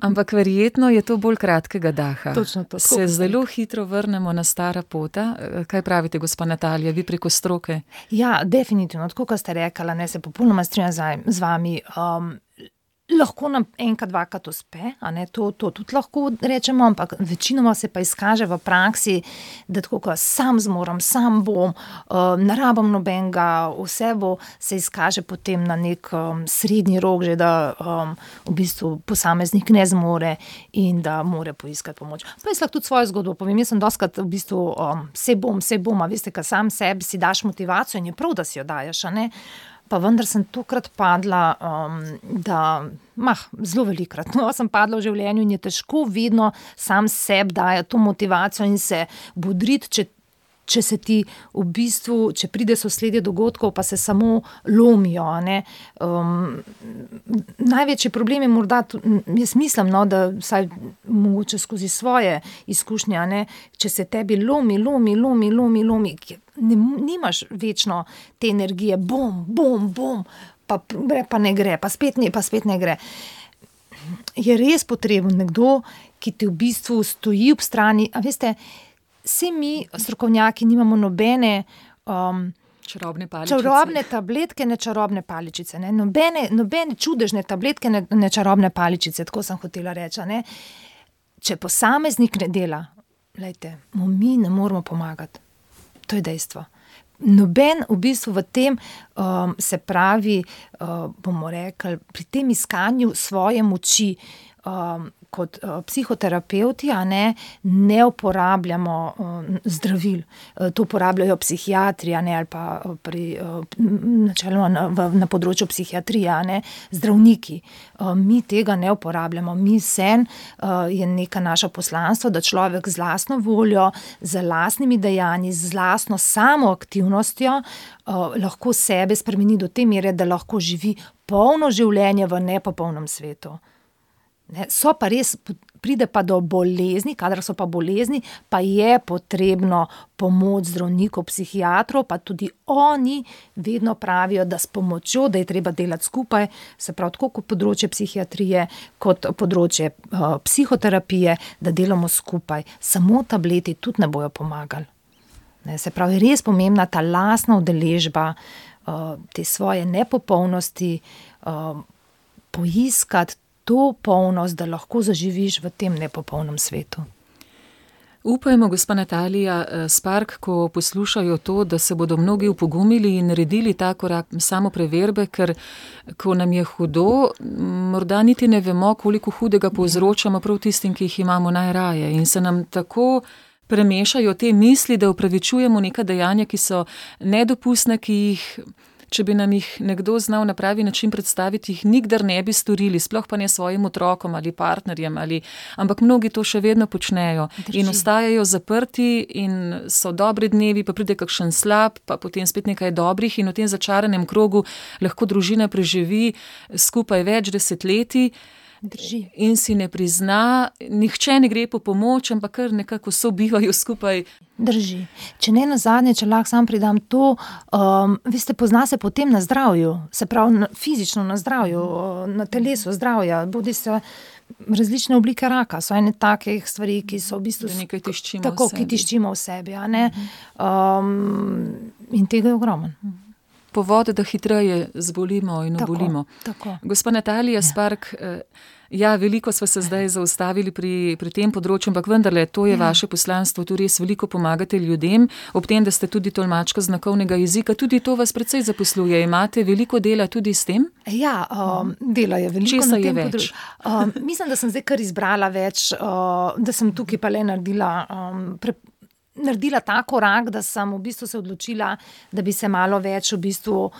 Ampak verjetno je to bolj kratkega daha. Točno to. Se zelo hitro vrnemo na stara pota. Kaj pravite, gospa Natalija, vi preko stroke? Ja, definitivno, tako kot ste rekla, ne, se popolnoma strinjam z vami. Lahko nam enkrat, dvakrat uspe, a ne, to tudi lahko rečemo, ampak večinoma se pa izkaže v praksi, da tako kot sam zmorem, sam bom, ne rabim nobenega, vse bo, se izkaže potem na nek srednji rok, že da v bistvu posameznik ne zmore in da more poiskati pomoč. Pa jaz lahko tudi svojo zgodbo povem, jaz sem dostikrat v bistvu saj bom, a veste, kad sam sebi si daš motivacijo in je prav, da si jo dajes, a ne. Pa vendar sem tokrat padla, zelo velikokrat, sem padla v življenju in je težko vedno sam sebi dajati to motivacijo in se bodriti, če se ti v bistvu, če pride sosledje dogodkov, pa se samo lomijo, a ne. Največji problem je morda, jaz mislim, da vsaj mogoče skozi svoje izkušnje, a ne, če se tebi lomi, nimaš večno te energije, bom, pa ne gre, pa spet ne gre. Je res potreben nekdo, ki ti v bistvu stoji ob strani, a veste, vsi mi, strokovnjaki, nimamo nobene čarobne tabletke, ne čarobne paličice, ne, nobene čudežne tabletke, ne čarobne paličice, tako sem hotela reči, ne. Če posameznik ne dela, glejte, mu mi ne moramo pomagati. To je dejstvo. Noben v bistvu v tem, se pravi, bomo rekli, pri tem iskanju svoje moči, kot psihoterapevti, a ne uporabljamo zdravil. To uporabljajo psihiatri, a ne, ali pa načeloma na področju psihiatrije, a ne, zdravniki. Mi tega ne uporabljamo. Mi je neka naša poslanstvo, da človek z lastno voljo, z lastnimi dejanji, z lastno samoaktivnostjo lahko sebe spremeni do te mere, da lahko živi polno življenje v nepopolnem svetu. So pa res, pride pa do bolezni, kadar so pa bolezni, pa je potrebno pomoč zdravnikov, psihiatrov, pa tudi oni vedno pravijo, da s pomočjo, da je treba delati skupaj, se pravi tako kot področje psihiatrije, kot področje psihoterapije, da delamo skupaj. Samo tableti tudi ne bojo pomagali. Se pravi, res pomembna ta lastna udeležba, te svoje nepopolnosti, poiskati to polnost, da lahko zaživiš v tem nepopolnem svetu. Upajmo, gospa Natalija Spark, ko poslušajo to, da se bodo mnogi upogumili in naredili ta korak samopreverbe, ker ko nam je hudo, morda niti ne vemo, koliko hudega povzročamo prav tistim, ki jih imamo najraje. In se nam tako premešajo te misli, da upravičujemo neka dejanja, ki so nedopustne, ki jih, če bi nam jih nekdo znal na pravi način predstaviti, jih nikdar ne bi storili, sploh pa ne svojim otrokom ali partnerjem, ampak mnogi to še vedno počnejo. Drži. In ostajajo zaprti in so dobri dnevi, pa pride kakšen slab, pa potem spet nekaj dobrih in v tem začaranem krogu lahko družina preživi skupaj več desetletij. Drži. In si ne prizna, nihče ne gre po pomoč, ampak kar nekako sobivajo skupaj. Drži. Če ne nazadnje, če lahko sam pridam to, veste, pozna se potem na zdravju, se pravi fizično na zdravju, na telesu zdravja, bodi se različne oblike raka, so ene takih stvari, ki so v bistvu nekaj tiščimo tako, v sebi. ki tiščimo v sebi, a ne? In tega je ogromno. Povod, da hitreje zbolimo in obolimo. Tako. Gospa Natalija Spark, veliko sva se zdaj zaustavili pri tem področju, ampak vendarle, to je vaše poslanstvo, tu res veliko pomagate ljudem, ob tem, da ste tudi tolmačka znakovnega jezika, tudi to vas precej zaposluje. Imate veliko dela tudi s tem? Ja, dela je veliko. Česa je več? Mislim, da sem zdaj kar izbrala več, da sem tukaj pa le naredila ta korak, da sem v bistvu se odločila, da bi se malo več v bistvu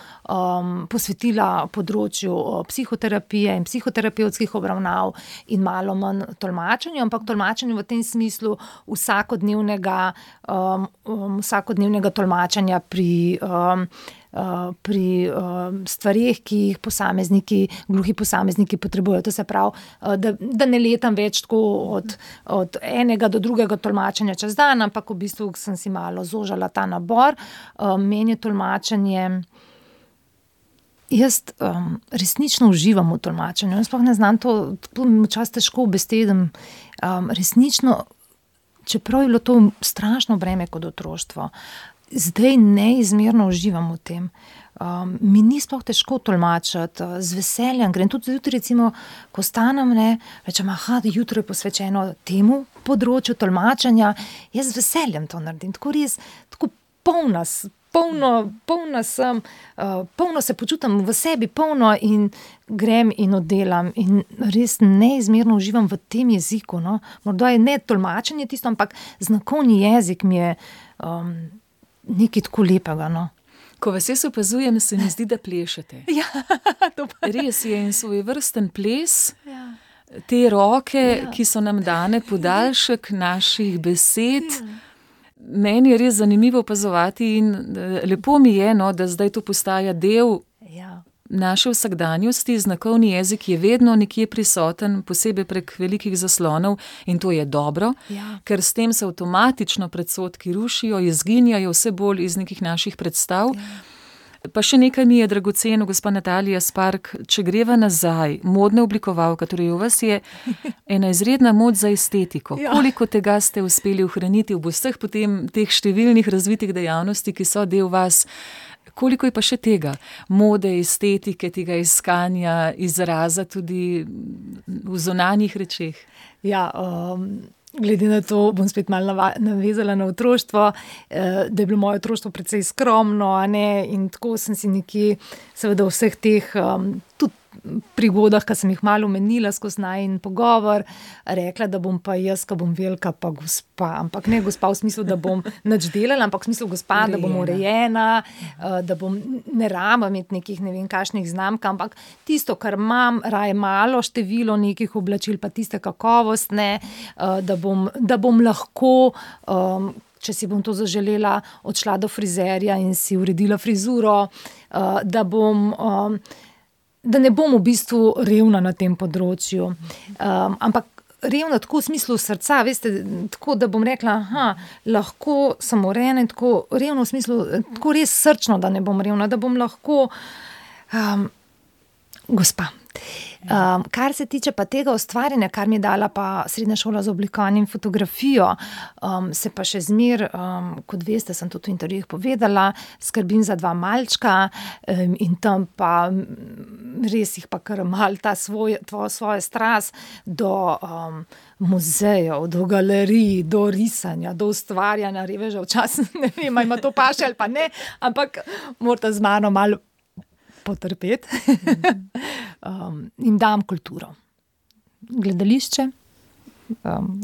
posvetila področju psihoterapije in psihoterapevtskih obravnav in malo manj tolmačenju, ampak tolmačenju v tem smislu vsakodnevnega tolmačenja pri pri stvareh, ki jih gluhi posamezniki potrebujejo. To se pravi, da ne letam več tako od enega do drugega tolmačenja čez dan, ampak v bistvu sem si malo zožala ta nabor. Meni je tolmačenje. Jaz resnično uživam v tolmačenju. Jaz sploh ne znam to včasih težko ubestedim. Resnično, čeprav je bilo to strašno breme kot otroštvo, zdaj neizmerno uživam v tem. Mi ni sploh težko tolmačiti, z veseljem grem. Tudi recimo, ko stanem, rečem, jutro je posvečeno temu področju tolmačenja, jaz z veseljem to naredim. Tako res, tako polna sem, polno se počutim v sebi, polno in grem in oddelam in res neizmerno uživam v tem jeziku. No. Morda je ne tolmačenje tisto, ampak znakovni jezik mi je nekaj tako lepega. No. Ko vas jaz opazujem, se mi zdi, da plešete. Ja, to pa res je en svojevrsten ples. Ja. Te roke, ki so nam dane podaljšek naših besed. Ja. Meni je res zanimivo opazovati in lepo mi je, da zdaj to postaja del naše vsakdanjosti. Znakovni jezik je vedno nekje prisoten, posebej prek velikih zaslonov in to je dobro, ker s tem se avtomatično predsodki rušijo, izginjajo vse bolj iz nekih naših predstav. Pa še nekaj mi je dragoceno, gospa Natalija Spark, če greva nazaj, modna oblikovalka, torej v vas je ena izredna moč za estetiko. Koliko tega ste uspeli ohraniti v vseh potem teh številnih razvitih dejavnosti, ki so del vas? Koliko je pa še tega? Mode, estetike, tega iskanja, izraza tudi v zunanjih rečeh? Ja, glede na to, bom spet malo navezala na otroštvo, da je bilo moje otroštvo precej skromno, in tako sem si nekje, seveda v vseh teh tudi prigodah, ki sem jih malo omenila skozi najin pogovor, rekla, da bom pa jaz, ko bom velika, pa gospa. Ampak ne gospa v smislu, da bom nič delala, ampak v smislu gospa, urejena. Da bom urejena, da bom ne rabim imeti nekih ne vem kakšnih znamk, ampak tisto, kar imam, raje malo število nekih oblačil, pa tiste kakovostne, da bom lahko, če si bom to zaželela, odšla do frizerja in si uredila frizuro, da ne bom v bistvu revna na tem področju. Ampak revna tako v smislu srca, veste, tako da bom rekla, lahko sem urejena in tako revna v smislu, tako res srčno, da ne bom revna, da bom lahko gospa. Kar se tiče pa tega ustvarjanja, kar mi je dala pa srednja šola za oblikovanje in fotografijo, se pa še kot veste, sem tudi v intervjujih povedala, skrbim za 2 malčka in tam pa res jih pa kar mal ta svoja strast do muzejev, do galerij, do risanja, do ustvarjanja, reveža včasih, ne vem, ima to paše ali pa ne, ampak morate z mano malo potrpeti. In dam kulturo. Gledališče,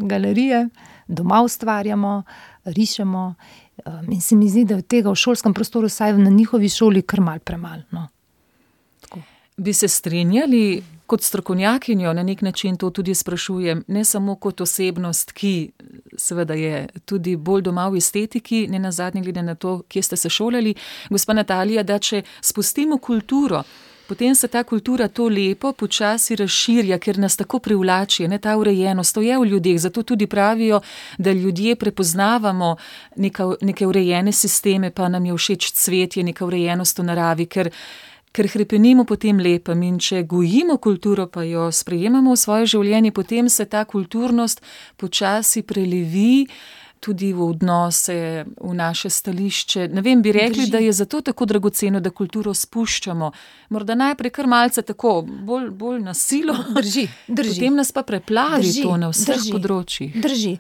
galerije, doma ustvarjamo, rišemo in se mi zdi, da je tega v šolskem prostoru, saj na njihovi šoli kar malo premalo. No. Bi se strinjali, kot strokovnjakinjo na nek način to tudi sprašujem, ne samo kot osebnost, ki seveda je tudi bolj doma v estetiki, ne nazadnje glede na to, kje ste se šolali, gospa Natalija, da če spustimo kulturo, potem se ta kultura to lepo počasi razširja, ker nas tako privlači, ta urejenost, to je v ljudeh, zato tudi pravijo, da ljudje prepoznavamo neke urejene sisteme, pa nam je všeč cvetje, neka urejenost v naravi, ker hrepenimo po tem lepem in če gojimo kulturo, pa jo sprejemamo v svoje življenje, potem se ta kulturnost počasi prelevi tudi v odnose, v naše stališče. Ne vem, bi rekli, da je zato tako dragoceno, da kulturo spuščamo. Morda najprej kar malce tako, bolj na silo. Drži. Potem nas pa preplavi to na vseh področjih. Drži.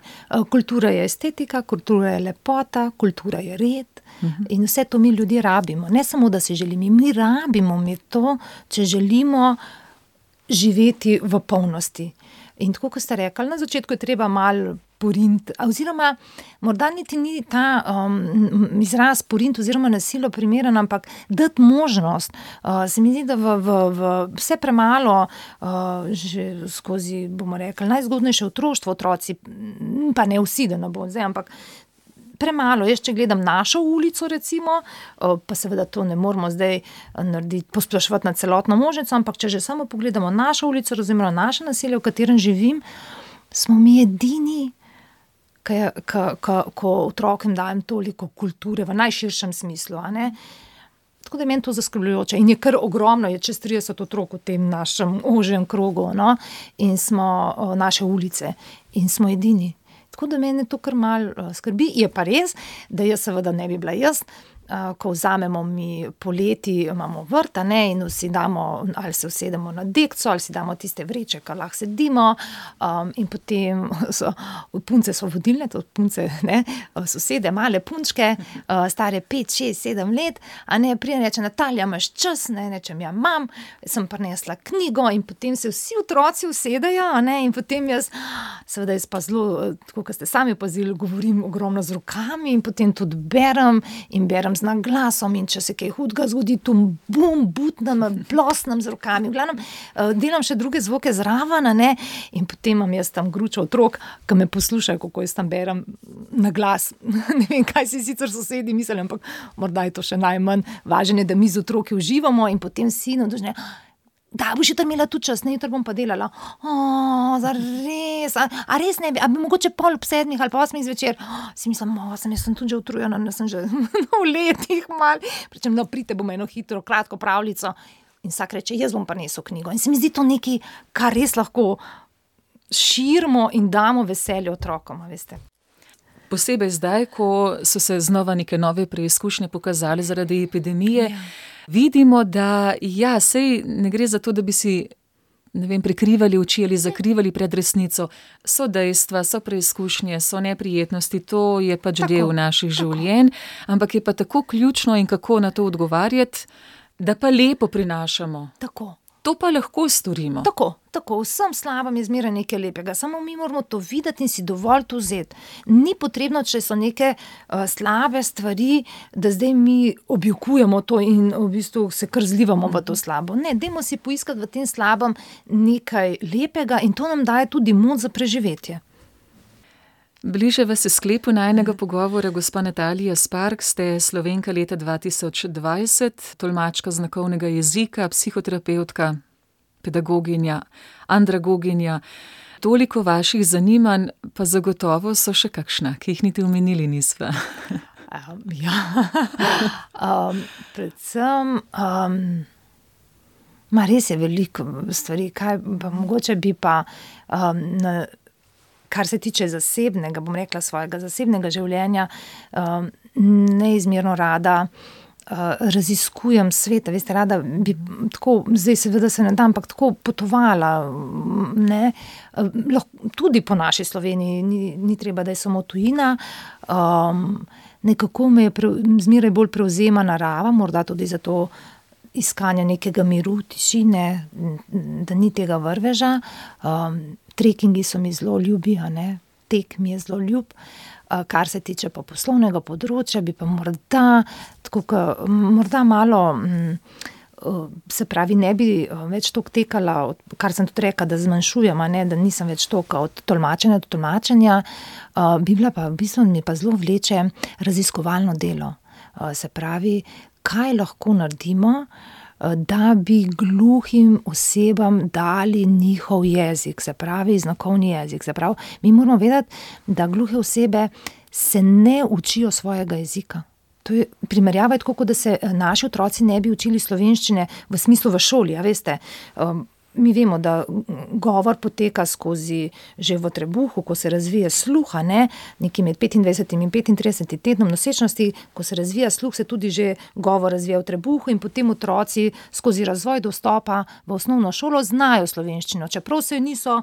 Kultura je estetika, kultura je lepota, kultura je red. In vse to mi ljudje rabimo. Ne samo, da si želimo, mi rabimo to, če želimo živeti v polnosti. In tako, kot ste rekli, na začetku je treba malo porint, oziroma morda niti ni ta izraz porint oziroma nasilo primeren, ampak dati možnost. Se mi zdi, da vse premalo že skozi, bomo rekli, najzgodnejše otroštvo otroci, pa ne vsi, da ne bo zdaj, ampak premalo. Jaz, če gledam našo ulico, recimo, pa seveda to ne moramo zdaj narediti, posploševati na celotno Možnico, ampak če že samo pogledamo našo ulico, oziroma naše naselje, v katerem živim, smo mi edini, ko otrokom dajem toliko kulture v najširšem smislu, a ne. Tako da je meni to zaskrbljujoče. In je kar ogromno, je čez 30 otrok v tem našem ožjem krogu, no, in smo naše ulice in smo edini. Tako da mene to kar malo skrbi. Je pa res, da jaz seveda ne bi bila jaz, ko vzamemo mi poleti, imamo vrt, a ne, in vsi damo, ali se usedemo na dekco, ali si damo tiste vreče, kar lahko sedimo, in potem punce so vodilne, to punce, ne, sosede, male punčke, stare 5, 6, 7 let, a ne, prije reče: Natalija, imaš čas? Ne, rečem: ja, imam, sem prinesla knjigo, in potem se vsi otroci usedejo, a ne, in potem jaz, seveda jaz pa zelo, tako kot ste sami opazili, govorim ogromno z rokami in potem tudi berem z naglasom, in če se kaj hudega zgodi, tu bum, butnem, plosnem z rokami, v glavnem, delam še druge zvoke zraven, a ne, in potem imam jaz tam gručo otrok, ki me poslušajo, kako jaz tam berem na glas. Ne vem, kaj si sicer sosedi mislijo, ampak morda je to še najmanj. Važno je, da mi z otroki uživamo, in potem sin odložne: da, boš jutri imela tudi čas, ne, jutri bom pa delala. Zares, a res ne bi, a bi mogoče 7:30 ali 8 zvečer. Si mislim, jaz sem tudi že utrujena, sem že v letih mal. Pričem, no, prite, bomo eno hitro, kratko pravljico. In vsak reče: jaz bom pa nesel knjigo. In se mi zdi to nekaj, kar res lahko širimo in damo veselje otrokom, veste. Posebej zdaj, ko so se znova neke nove preizkušnje pokazali zaradi epidemije, vidimo, da sej ne gre za to, da bi si, ne vem, prikrivali oči ali zakrivali pred resnico. So dejstva, so preizkušnje, so neprijetnosti, to je pač del naših življenj, ampak je pa tako ključno, in kako na to odgovarjati, da pa lepo prinašamo. Tako. To pa lahko storimo. Tako, vsem slabem je zmeraj nekaj lepega, samo mi moramo to videti in si dovolj to vzeti. Ni potrebno, če so neke slabe stvari, da zdaj mi objokujemo to in v bistvu se kar zlivamo v to slabo. Ne, dajmo si poiskati v tem slabem nekaj lepega, in to nam daje tudi moč za preživetje. Bližava se sklepu najinega pogovora. Gospa Natalija Spark, ste Slovenka leta 2020, tolmačka znakovnega jezika, psihoterapevtka, pedagoginja, andragoginja. Toliko vaših zanimanj, pa zagotovo so še kakšna, ki jih niti omenili nisva. Predvsem, res je veliko stvari, kaj pa mogoče bi pa kar se tiče zasebnega, bom rekla, svojega zasebnega življenja, neizmerno rada raziskujem svet, veste, rada bi tako, zdaj seveda se ne da, ampak tako potovala, ne, tudi po naši Sloveniji, ni treba, da je samo tujina, nekako me je zmeraj bolj prevzema narava, morda tudi zato iskanja nekega miru, tišine, da ni tega vrveža. Trekingi so mi zelo ljubi, a ne, tek mi je zelo ljub. Kar se tiče pa poslovnega področja, bi pa morda malo, se pravi, ne bi več toliko tekala, kar sem tudi rekla, da zmanjšujem, a ne, da nisem več toliko od tolmačenja do tolmačenja, bi bila pa, v bistvu mi pa zelo vleče raziskovalno delo. Se pravi, kaj lahko naredimo, da bi gluhim osebam dali njihov jezik, se pravi znakovni jezik. Se pravi, mi moramo vedeti, da gluhe osebe se ne učijo svojega jezika. To je primerjava, tako kot da se naši otroci ne bi učili slovenščine v smislu v šoli, a veste. Mi vemo, da govor poteka skozi že v trebuhu, ko se razvije sluh, ne, nekje med 25. in 35. tednom nosečnosti, ko se razvija sluh, se tudi že govor razvija v trebuhu, in potem otroci skozi razvoj dostopa v osnovno šolo znajo slovenščino, čeprav se jo niso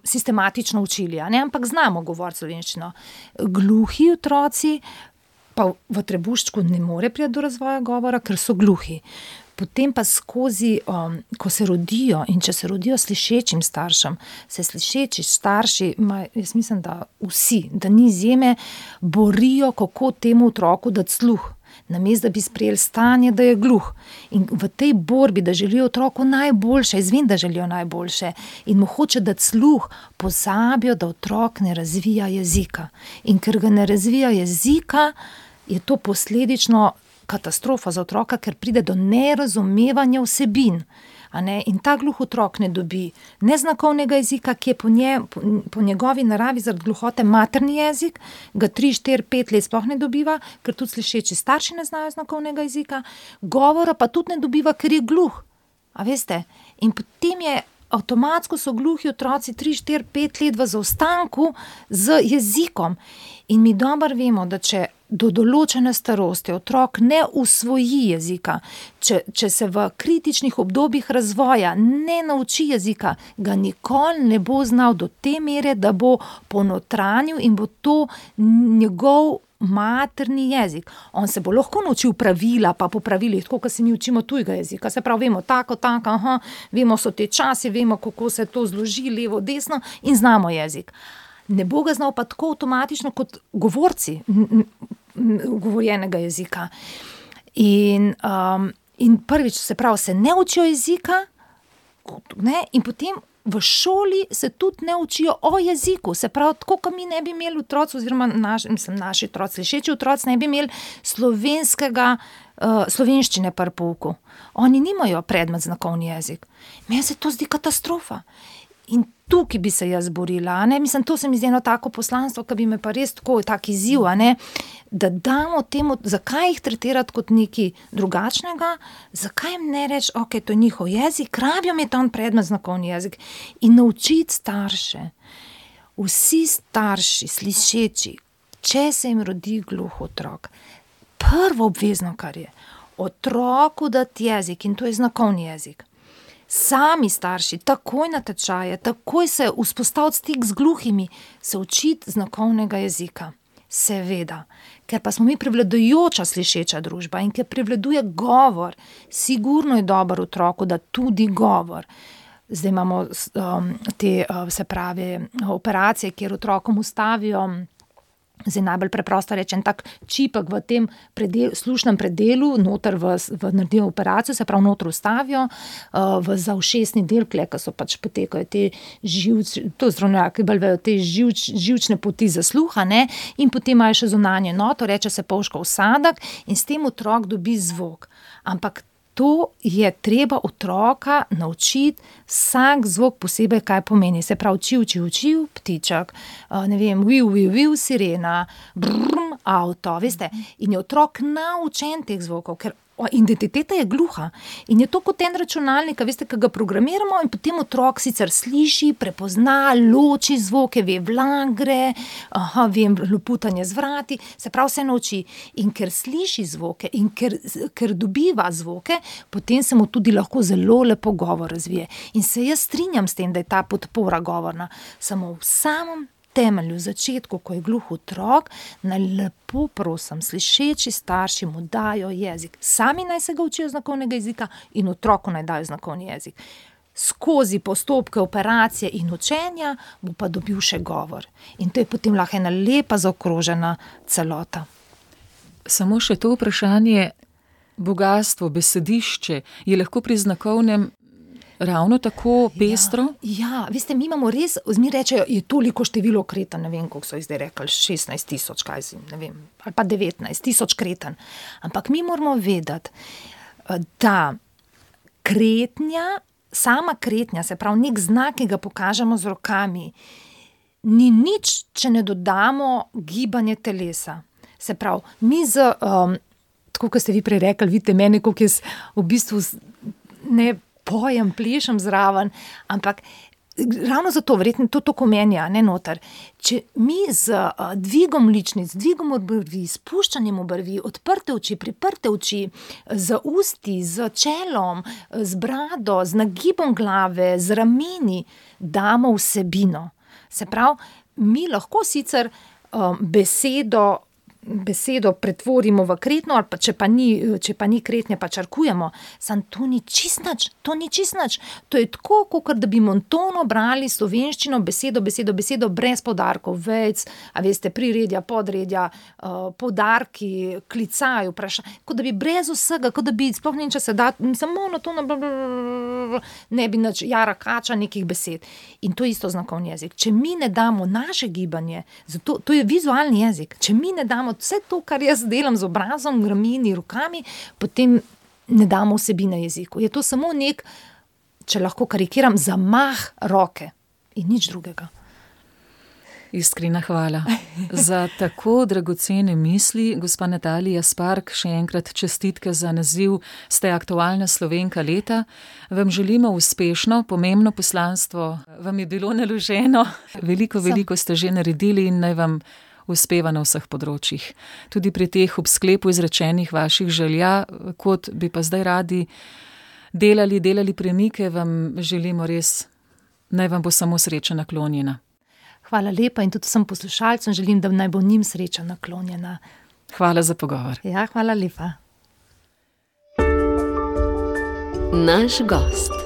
sistematično učili, a ne, ampak znamo govoriti slovenščino. Gluhi otroci pa v trebuščku ne more priti do razvoja govora, ker so gluhi. Potem pa skozi, ko se rodijo, in če se rodijo slišečim staršem, se slišeči starši, jaz mislim, da vsi, da ni izjeme, borijo, kako temu otroku dati sluh. namesto da bi sprejeli stanje, da je gluh. In v tej borbi, da želijo otroku najboljše, jaz vem, da želijo najboljše in mu hoče dati sluh, pozabijo, da otrok ne razvija jezika. In ker ga ne razvija jezika, je to posledično katastrofa za otroka, ker pride do nerazumevanja vsebin. In ta gluh otrok ne dobi neznakovnega jezika, ki je po njegovi naravi zaradi gluhote materni jezik, ga 3, 4, 5 let sploh ne dobiva, ker tudi slišeči starši ne znajo znakovnega jezika, govora pa tudi ne dobiva, ker je gluh. A veste? In potem je avtomatsko so gluhi otroci 3, 4, 5 let v zaostanku z jezikom. In mi dobro vemo, da če do določene starosti otrok ne usvoji jezika, če se v kritičnih obdobjih razvoja ne nauči jezika, ga nikoli ne bo znal do te mere, da bo ponotranil in bo to njegov materni jezik. On se bo lahko naučil pravila, pa po pravilih, tako kot se mi učimo tujega jezika. Se pravi, vemo tako, vemo so te časi, vemo, kako se to zloži, levo, desno in znamo jezik. Ne bo ga znal pa tako avtomatično kot govorci govorjenega jezika. In prvič, se pravi, se ne učijo jezika, in potem v šoli se tudi ne učijo o jeziku. Se pravi, tako kot mi ne bi imeli otroci, oziroma naši otroci, slišeči otroci ne bi imeli slovenščine pri pouku. Oni nimajo predmet znakovni jezik. Meni se to zdi katastrofa. In tukaj bi se jaz borila, to se mi zdi eno tako poslanstvo, ki bi me pa res tak izziv, da damo temu, zakaj jih tretirati kot nekaj drugačnega, zakaj jim ne reči, ok, to je njihov jezik, rabijo imeti tam predmet znakovni jezik in naučiti starše. Vsi starši, slišeči, če se jim rodi gluh otrok, prvo obvezno, kar je, otroku dati jezik, in to je znakovni jezik. Sami starši, takoj na tečaje, takoj se vzpostaviti stik z gluhimi, se učiti znakovnega jezika. Seveda, ker pa smo mi prevladujoča slišeča družba in ker prevladuje govor, sigurno je dober otroku, da tudi govor. Zdaj imamo te, se pravi, operacije, kjer otrokom ustavijo, zdaj najbolj preprosto rečem, tak čipek v tem slušnem predelu, noter naredijo operacijo, se pravi noter ustavijo, za ušesni del, ko so pač potekajo te to zdravnjaki bolj vejo, te živčne poti za sluha, in potem imajo še zunanje noto, reče se polškov vsadek in s tem otrok dobi zvok. Ampak to je treba otroka naučiti vsak zvok posebej, kaj pomeni. Se pravi, čiv, ptiček, ne vem, viu, sirena, brrm, avto, veste. In je otrok naučen teh zvokov, ker identiteta je gluha. In je to kot en računalnik, veste, ki ga programiramo in potem otrok sicer sliši, prepozna, loči zvoke, ve vlagre, ve loputanje z vrati, se pravi se nauči. In ker sliši zvoke in ker dobiva zvoke, potem se mu tudi lahko zelo lepo govor razvije. In se jaz strinjam s tem, da je ta podpora govorna, samo v samem temelju, začetku, ko je gluh otrok, naj lepo prosim, slišeči starši mu dajo jezik. Sami naj se ga učijo znakovnega jezika in otroku naj dajo znakovni jezik. Skozi postopke operacije in učenja bo pa dobil še govor. In to je potem lahko ena lepa zaokrožena celota. Samo še to vprašanje, bogastvo, besedišče je lahko pri znakovnem ravno tako pestro? Ja, veste, mi imamo res, mi rečejo, je toliko število kreten, ne vem, koliko so jih zdaj rekli, 16,000, kaj si, ne vem, ali pa 19,000 kreten. Ampak mi moramo vedeti, da sama kretnja, se pravi, nek znak, ki ga pokažemo z rokami, ni nič, če ne dodamo gibanje telesa. Se pravi, mi tako, kot ste vi prej rekli, vidite mene, koliko jaz v bistvu ne pojem, plešem zraven, ampak ravno zato, verjetno to komenja, ne noter. Če mi z dvigom ličnic, dvigom obrvi, spuščanjem obrvi, odprte oči, priprte oči, z usti, z čelom, z brado, z nagibom glave, z rameni, damo vsebino. Se pravi, mi lahko sicer besedo besedo pretvorimo v kretno, ali pa če pa ni kretnje, pa črkujemo. Sam to ni čisto nič, To je tako, kot da bi monotonu brali slovenščino, besedo, brez poudarkov, vejic, a veste, priredja, podredja, poudarki, klicaj, kot da bi brez vsega, kot da bi sploh če se da, samo monotono, ne bi nič, jara kača nekih besed. In to je isto znakovni jezik. Če mi ne damo naše gibanje, zato, to je vizualni jezik, če mi ne damo vse to, kar jaz delam z obrazom, rameni, rokami, potem ne damo vsebine jeziku. Je to samo nek, če lahko karikiram, zamah roke in nič drugega. Iskrena hvala za tako dragocene misli. Gospa Natalija Spark, še enkrat čestitke za naziv Ste aktualna Slovenka leta. Vam želimo uspešno, pomembno poslanstvo. Vam je bilo naloženo. Veliko ste že naredili in naj vam uspeva na vseh področjih. Tudi pri teh ob sklepu izrečenih vaših želja, kot bi pa zdaj radi delali premike, vam želimo res, naj vam bo samo sreča naklonjena. Hvala lepa in tudi vsem poslušalcem želim, da naj bo njim sreča naklonjena. Hvala za pogovor. Ja, hvala lepa. Naš gost.